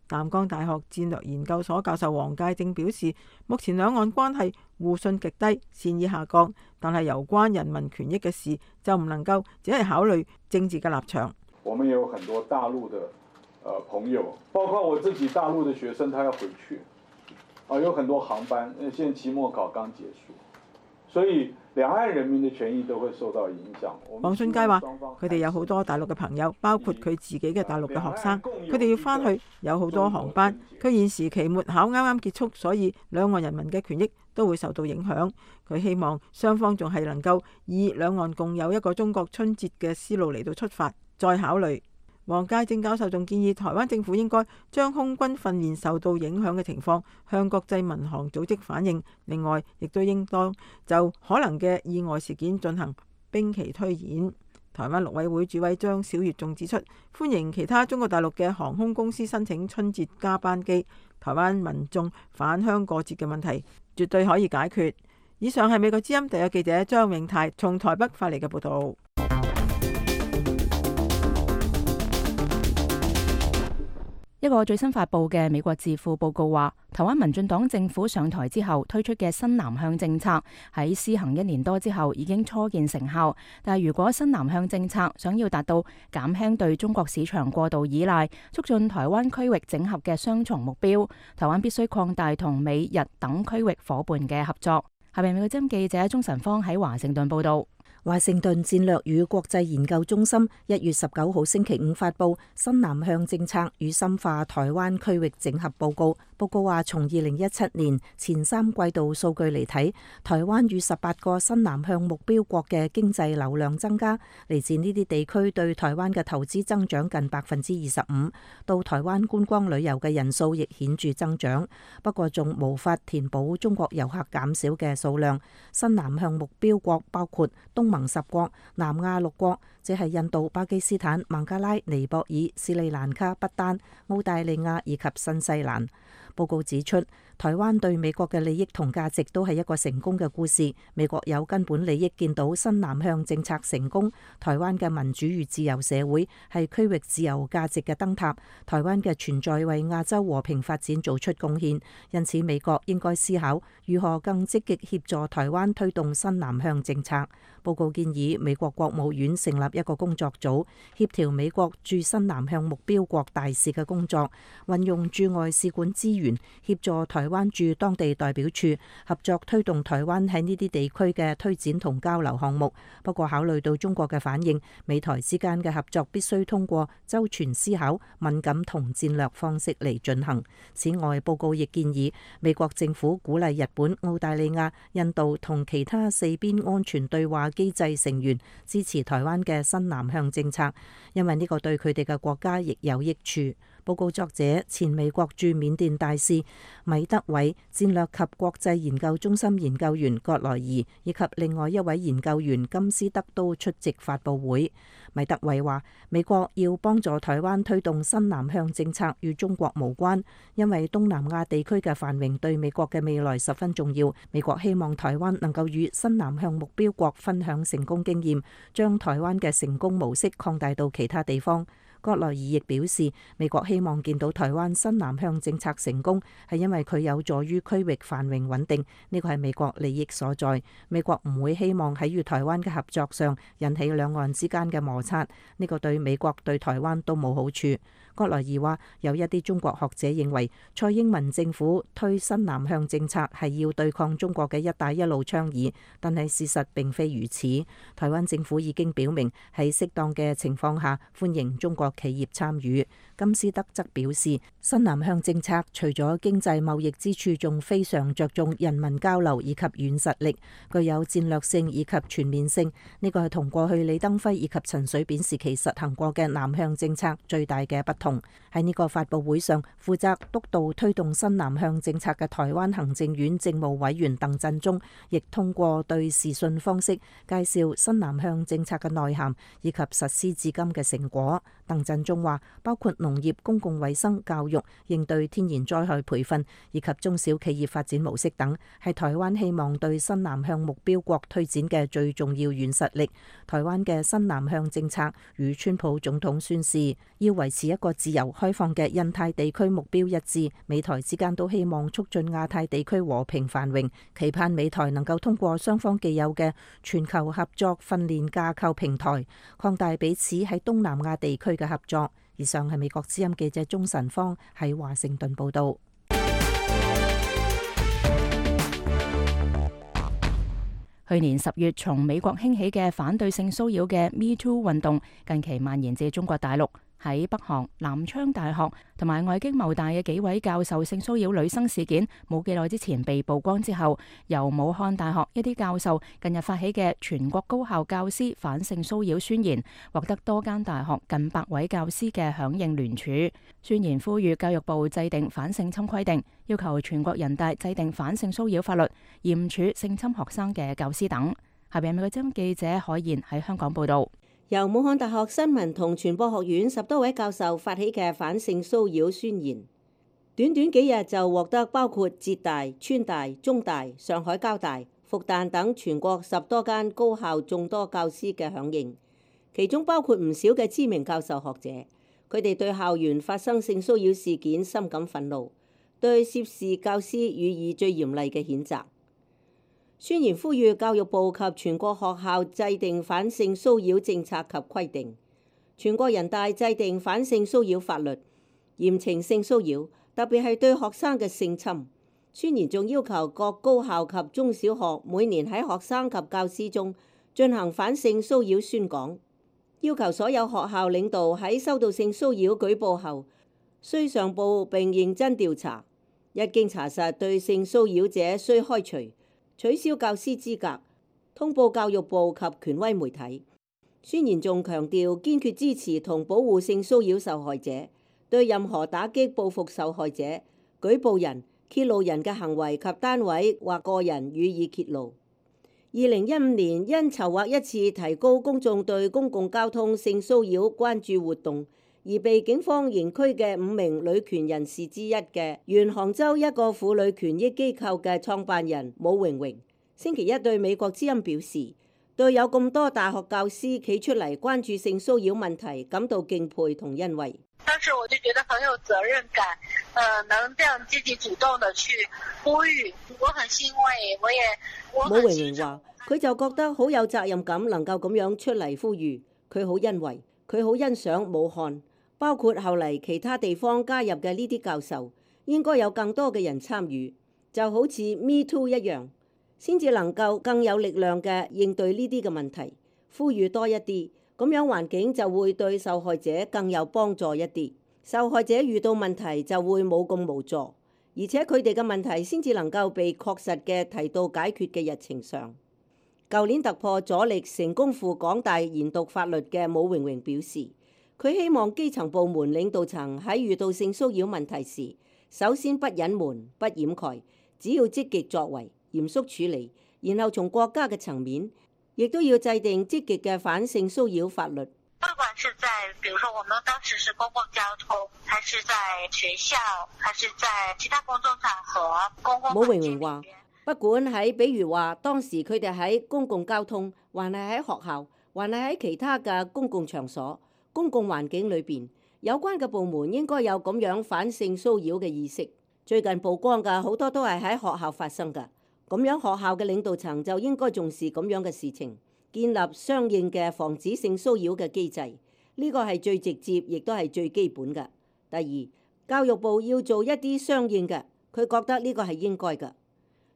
淡江大學戰略研究所教授黃介正表示，目前兩岸關係互信極低，善意下降，但係有關人民權益嘅事就唔能夠只係考慮政治嘅立場。我們也有很多大陸的呃朋友，包括我自己大陸的學生，他要回去啊，有很多航班，因為現在期末考剛結束，所以兩岸人民的權益都會受到影響。黃信介話：佢哋有好多大陸嘅朋友，包括佢自己嘅大陸嘅學生，佢哋要翻去，有好多航班。佢現時期末考啱啱結束，所以兩岸人民嘅權益都會受到影響。佢希望雙方仲係能夠以兩岸共有一個中國春節嘅思路嚟到出發，再考慮。黃介正教授仲建議台灣政府應該將空軍訓練受到影響嘅情況向國際民航組織反映，另外亦都應當就可能嘅意外事件進行兵棋推演。台灣陸委會主委張曉月仲指出，歡迎其他中國大陸嘅航空公司申請春節加班機，台灣民眾返鄉過節嘅問題絕對可以解決。以上係美國之音第一記者張永泰從台北發嚟嘅報道。一個最新發布嘅美國智庫報告話，台灣民進黨政府上台之後推出嘅新南向政策喺施行一年多之後已經初見成效。但係如果新南向政策想要達到減輕對中國市場過度依賴，促進台灣區域整合嘅雙重目標，台灣必須擴大同美日等區域伙伴嘅合作。下面美國之音記者鍾晨芳喺華盛頓報道。華盛頓戰略與國際研究中心一月十九號星期五發布新南向政策與深化台灣區域整合報告。報告話，從二零一七年前三季度數據嚟睇，台灣與十八個新南向目標國嘅經濟流量增加，嚟自呢啲地區對台灣嘅投資增長近百分之二十五，到台灣觀光旅遊嘅人數亦顯著增長。不過仲無法填補中國遊客減少嘅數量。新南向目標國包括東盟十國、南亞六國，即係印度、巴基斯坦、孟加拉、尼泊爾、斯里蘭卡、不丹、澳大利亞以及新西蘭。報告指出，台灣對美國嘅利益同價值都係一個成功嘅故事。美國有根本利益見到新南向政策成功，台灣嘅民主與自由社會係區域自由價值嘅燈塔，台灣嘅存在為亞洲和平發展做出貢獻。因此，美國應該思考如何更積極協助台灣推動新南向政策。報告建議美國國務院成立一個工作組，協調美國駐新南向目標國大使嘅工作，運用駐外使館資源協助台灣駐當地代表處合作推動台灣喺呢啲地區嘅推展同交流項目。不過考慮到中國嘅反應，美台之間嘅合作必須通過周全思考、敏感同戰略方式嚟進行。此外，報告亦建議美國政府鼓勵日本、澳大利亞、印度同其他四邊安全對話機制成員支持台灣嘅新南向政策，因為呢個對佢哋嘅國家亦有益處。報告作者前美國駐緬甸大使米德偉、戰略及國際研究中心研究員葛萊儀以及另外一位研究員金斯德都出席發佈會。米德偉話：美國要幫助台灣推動新南向政策與中國無關，因為東南亞地區嘅繁榮對美國嘅未來十分重要。美國希望台灣能夠與新南向目標國分享成功經驗，將台灣嘅成功模式擴大到其他地方。葛萊儀亦表示，美國希望見到台灣新南向政策成功，係因為佢有助於區域繁榮穩定，呢個係美國利益所在。美國唔會希望喺與台灣嘅合作上引起兩岸之間嘅摩擦，呢個對美國對台灣都冇好處。葛萊儀話：有一啲中國學者認為，蔡英文政府推新南向政策係要對抗中國嘅一帶一路倡議，但係事實並非如此。台灣政府已經表明喺適當嘅情況下歡迎中國企業參與。金斯德則表示，新南向政策除咗經濟貿易之處，仲非常着重人民交流以及軟實力，具有戰略性以及全面性。呢個係同過去李登輝以及陳水扁時期實行過嘅南向政策最大嘅不同。喺呢個發佈會上，負責督導推動新南向政策嘅台灣行政院政務委員鄧振中，亦通過對視訊方式介紹新南向政策嘅內涵以及實施至今嘅成果。鄧振中話，包括農業、公共衛生、教育、應對天然災害培訓以及中小企業發展模式等，係台灣希望對新南向目標國推展嘅最重要軟實力。台灣嘅新南向政策與川普總統宣示要維持一個自由開放嘅印太地區目標一致，美台之間都希望促進亞太地區和平繁榮，期盼美台能夠通過雙方既有嘅全球合作訓練架構平台，擴大彼此喺東南亞地區嘅合作。以上係美國之音記者鍾晨芳喺華盛頓報道。去年十月從美國興起嘅反對性騷擾嘅 Me Too 運動，近期蔓延至中國大陸。喺北韓南昌大學同埋外經貿大嘅幾位教授性騷擾女生事件冇幾耐之前被曝光之後，由武漢大學一啲教授近日發起嘅全國高校教師反性騷擾宣言，獲得多間大學近百位教師嘅響應聯署。宣言呼籲教育部制定反性侵規定，要求全國人大制定反性騷擾法律，嚴處性侵學生嘅教師等。下邊美國之音記者海燕喺香港報道。由武漢大學新聞同傳播學院十多位教授發起嘅反性騷擾宣言，短短幾日就獲得包括浙大、川大、中大、上海交大、復旦等全國十多間高校眾多教師嘅響應，其中包括唔少嘅知名教授學者。佢哋對校園發生性騷擾事件深感憤怒，對涉事教師予以最嚴厲嘅譴責。宣言呼籲教育部及全國學校制定反性騷擾政策及規定，全國人大制定反性騷擾法律，嚴懲性騷擾，特別係對學生嘅性侵。宣言仲要求各高校及中小學每年喺學生及教師中進行反性騷擾宣講，要求所有學校領導喺收到性騷擾舉報後，須上報並認真調查，一經查實對性騷擾者須開除、取消教師資格，通報教育部及權威媒體。宣言仲強調堅決支持同保護性騷擾受害者，對任何打擊報復受害者、舉報人、揭露人嘅行為及單位或個人予以揭露。二零一五年因籌劃一次提高公眾對公共交通性騷擾關注活動而被警方刑拘嘅五名女權人士之一嘅原杭州一個婦女權益機構嘅創辦人武榮榮，星期一對美國之音表示，對有咁多大學教師企出嚟關注性騷擾問題感到敬佩同欣慰。當時我就覺得很有責任感，呃，能這樣積極主動地去呼籲，我很欣慰，我也我很。武榮榮話：佢就覺得好有責任感，能夠咁樣出嚟呼籲，佢好欣慰，佢好欣賞武漢，包括後嚟其他地方加入嘅呢啲教授，應該有更多嘅人參與，就好似 Me Too 一樣，先至能夠更有力量嘅應對呢啲嘅問題，呼籲多一啲。咁樣環境就會對受害者更有幫助一啲，受害者遇到問題就會冇咁無助，而且佢哋嘅問題先至能夠被確實嘅提到解決嘅日程上。舊年突破阻力成功赴港大研讀法律嘅武榮榮表示，佢希望基層部門領導層喺遇到性騷擾問題時，首先不隱瞞、不掩蓋，只要積極作為、嚴肅處理，然後從國家嘅層面，亦都要制定積極嘅反性騷擾法律。不管是在，比如說我們當時是公共交通，還是在學校，還是在其他公眾場合，公共。武榮榮話，不管喺，比如話當時佢哋喺公共交通，還係喺學校，還係喺其他嘅公共場所、公共環境裏邊，有關嘅部門應該有咁樣反性騷擾嘅意識。最近曝光嘅好多都係喺學校發生嘅。咁樣學校嘅領導層就應該重視咁樣嘅事情，建立相應嘅防止性騷擾嘅機制，呢個係最直接，亦都係最基本嘅。第二，教育部要做一啲相應嘅，佢覺得呢個係應該嘅。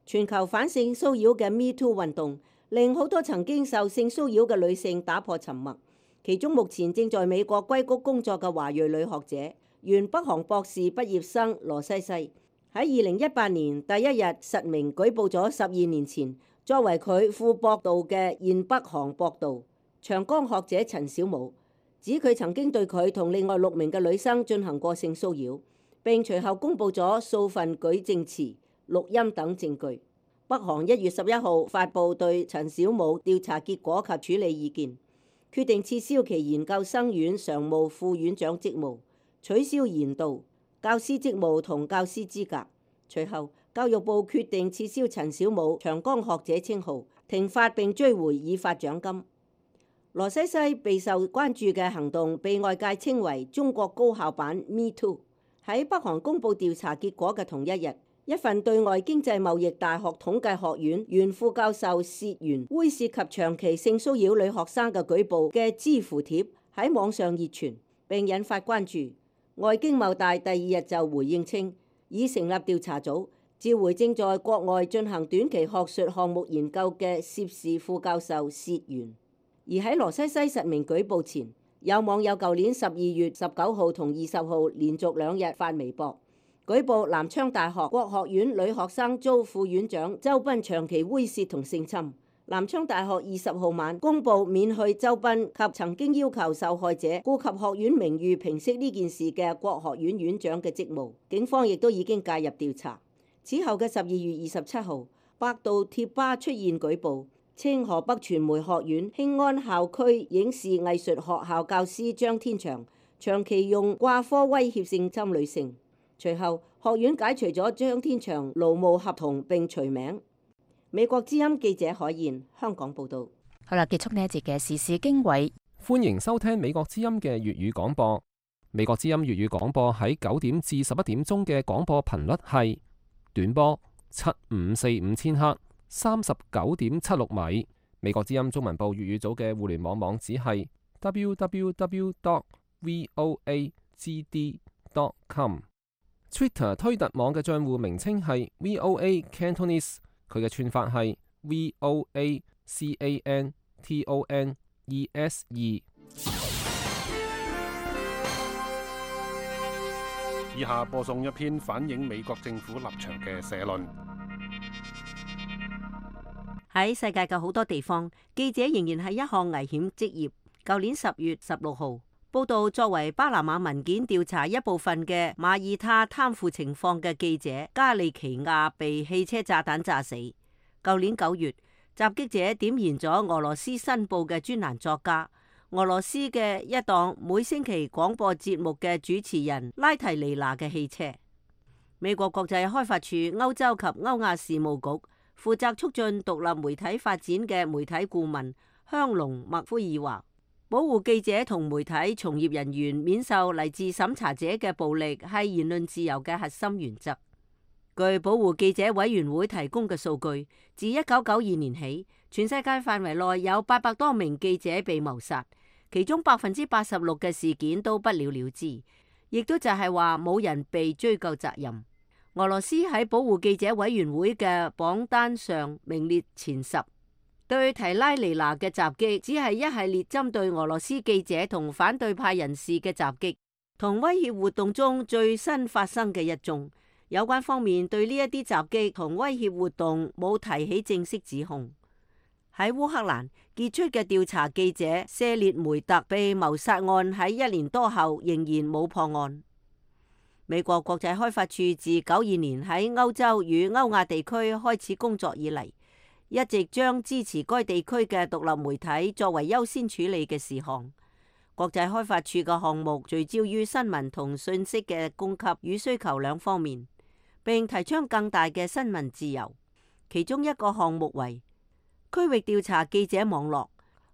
全球反性騷擾嘅 Me Too 運動，令好多曾經受性騷擾嘅女性打破沉默。其中目前正在美國硅谷工作嘅華裔女學者，原北韓博士畢業生羅西西，喺二零一八年第一日實名舉報咗十二年前作為佢副博導嘅現北韓博導長江學者陳小武，指佢曾經對佢同另外六名嘅女生進行過性騷擾，並隨後公佈咗數份舉證詞、錄音等證據。北韓一月十一號發布對陳小武調查結果及處理意見，決定撤銷其研究生院常務副院長職務，取消研導教師職務同教師資格。隨後，教育部決定撤銷陳小武長江學者稱號，停發並追回已發獎金。羅西西備受關注嘅行動被外界稱為中國高校版 Me Too。喺北韓公佈調查結果嘅同一日，一份對外經濟貿易大學統計學院原副教授涉嫌猥褻及長期性騷擾女學生嘅舉報嘅知乎貼喺網上熱傳，並引發關注。外經貿大第二日就回應稱，已成立調查組，召回正在國外進行短期學術項目研究嘅涉事副教授薛元。而喺羅西西實名舉報前，有網友舊年十二月十九號同二十號連續兩日發微博，舉報南昌大學國學院女學生遭副院長周斌長期猥褻同性侵。南昌大學二十號晚公佈免去周斌及曾經要求受害者顧及學院名譽平息呢件事嘅國學院院長嘅職務，警方亦都已經介入調查。此後嘅十二月二十七號，百度貼吧出現舉報，稱河北傳媒學院興安校區影視藝術學校教師張天祥長期用掛科威脅性侵女性。隨後，學院解除咗張天祥勞務合同並除名。美國之音記者海燕香港報道。好啦，結束呢一節嘅時事經緯。歡迎收聽美國之音嘅粵語廣播。美國之音粵語廣播喺九點至十一點鐘嘅廣播頻率係短波七五四五千赫，三十九點七六米。美國之音中文部粵語組嘅互聯網網址係 w w w dot voa g d dot com。Twitter 推特網嘅賬戶名稱係 V O A Cantonese。佢嘅串法係 V O A C A N T O N E S E。以下播送一篇反映美國政府立場嘅社論。喺世界嘅好多地方，記者仍然係一項危險職業。舊年十月十六號，報道作為巴拿馬文件調查一部分嘅馬耳他貪腐情況嘅記者加利奇亞被汽車炸彈炸死。舊年九月，襲擊者點燃咗俄羅斯新報嘅專欄作家、俄羅斯嘅一檔每星期廣播節目嘅主持人拉提尼娜嘅汽車。美國國際開發署歐洲及歐亞事務局負責促進獨立媒體發展嘅媒體顧問香龍麥夫爾話，保護記者同媒體從業人員免受嚟自審查者嘅暴力係言論自由嘅核心原則。據保護記者委員會提供嘅數據，自一九九二年起，全世界範圍內有八百多名記者被謀殺，其中百分之八十六嘅事件都不了了之，亦都就係話冇人被追究責任。俄羅斯喺保護記者委員會嘅榜單上名列前十。對提拉尼娜嘅襲擊只係一系列針對俄羅斯記者同反對派人士嘅襲擊，同威脅活動中最新發生嘅一宗。有關方面對呢一啲襲擊同威脅活動冇提起正式指控。喺烏克蘭傑出嘅調查記者舍列梅特被謀殺案喺一年多後仍然冇破案。美國國際開發署自九二年喺歐洲與歐亞地區開始工作以嚟，一直將支持該地區嘅獨立媒體作為優先處理嘅事項。國際開發署嘅項目聚焦於新聞同信息嘅供給與需求兩方面，並提倡更大嘅新聞自由。其中一個項目為區域調查記者網絡。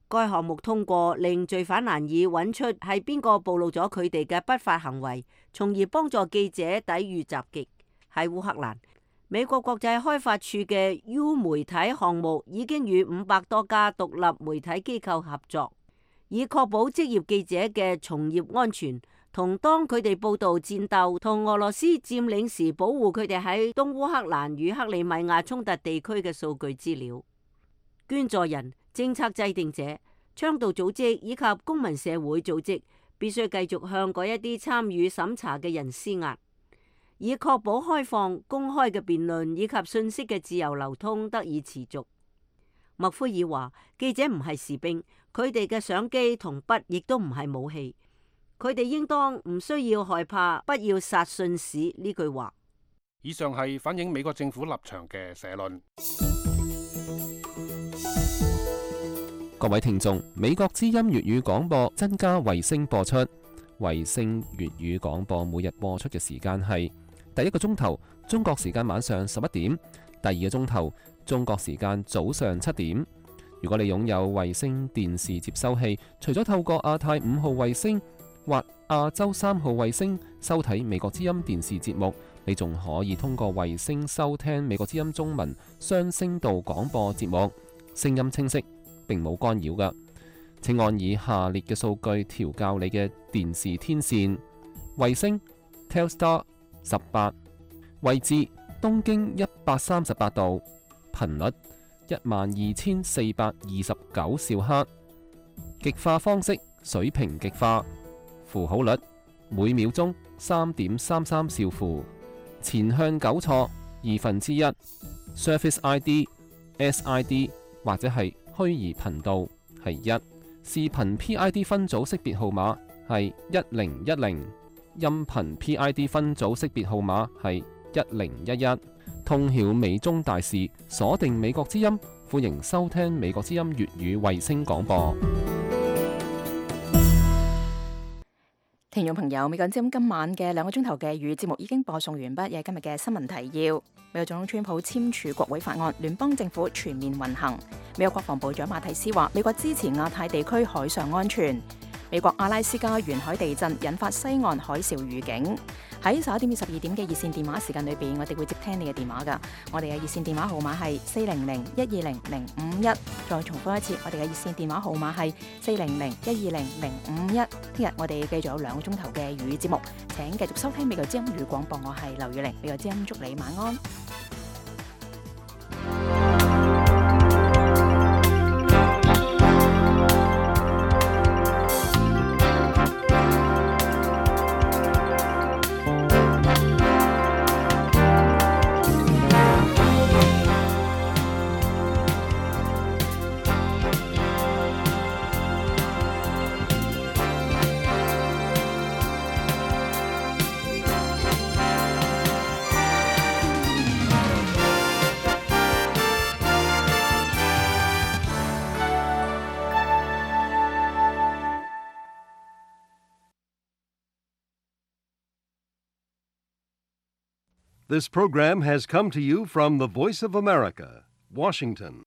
該項目通過令罪犯難以揾出係邊個暴露咗佢哋嘅不法行為，從而幫助記者抵禦襲擊。喺烏克蘭，美國國際開發署嘅 U 媒體項目已經與五百多家獨立媒體機構合作，以確保職業記者嘅從業安全，同當佢哋報道戰鬥同俄羅斯佔領時，保護佢哋喺東烏克蘭與克里米亞衝突地區嘅數據資料。捐助人、政策制定者、倡導組織以及公民社會組織必須繼續向嗰一啲參與審查嘅人施壓，以確保開放、公開嘅辯論以及信息嘅自由流通得以持續。麥夫爾話：記者唔係士兵，佢哋嘅相機同筆亦都唔係武器，佢哋應當唔需要害怕不要殺信使呢句話。以上係反映美國政府立場嘅社論。各位聽眾，美國之音粵語廣播增加衛星播出。衛星粵語廣播每日播出嘅時間係第一個鐘頭中國時間晚上十一點，第二個鐘頭中國時間早上七點。如果你擁有衛星電視接收器，除咗透過亞太五號衛星或亞洲三號衛星收睇美國之音電視節目，你仲可以通過衛星收聽美國之音中文雙聲道廣播節目，聲音清晰，並冇干擾㗎。請按以下列嘅數據調校你嘅電視天線：衛星 Telstar 十八，位置東經一百三十八度，頻率一萬二千四百二十九兆赫，極化方式水平極化，符號率每秒鐘三點三三兆符，前向糾錯二分之一 ，Surface I D、S I D 或者係虛擬頻道係一，視頻 P I D 分組識別號碼係一零一零，音頻 P I D 分組識別號碼係一零一一。通曉美中大事，鎖定美國之音，歡迎收聽美國之音粵語衛星廣播。聽眾朋友，美國之音今晚嘅兩個鐘頭嘅粵語節目已經播送完畢，有今日嘅新聞提要。美國總統川普簽署國會法案，聯邦政府全面運行。美國國防部長馬蒂斯話，美國支持亞太地區海上安全。美國阿拉斯加沿海地震引發西岸海嘯預警。喺十一點至十二點嘅熱線電話時間裏邊，我哋會接聽你嘅電話噶。我哋嘅熱線電話號碼係四零零一二零零五一。再重複一次，我哋嘅熱線電話號碼係四零零一二零零五一。聽日我哋繼續有兩個鐘頭嘅粵語節目，請繼續收聽美國之音粵語廣播。我係劉雨玲，美國之音祝你晚安。This program has come to you from the Voice of America, Washington.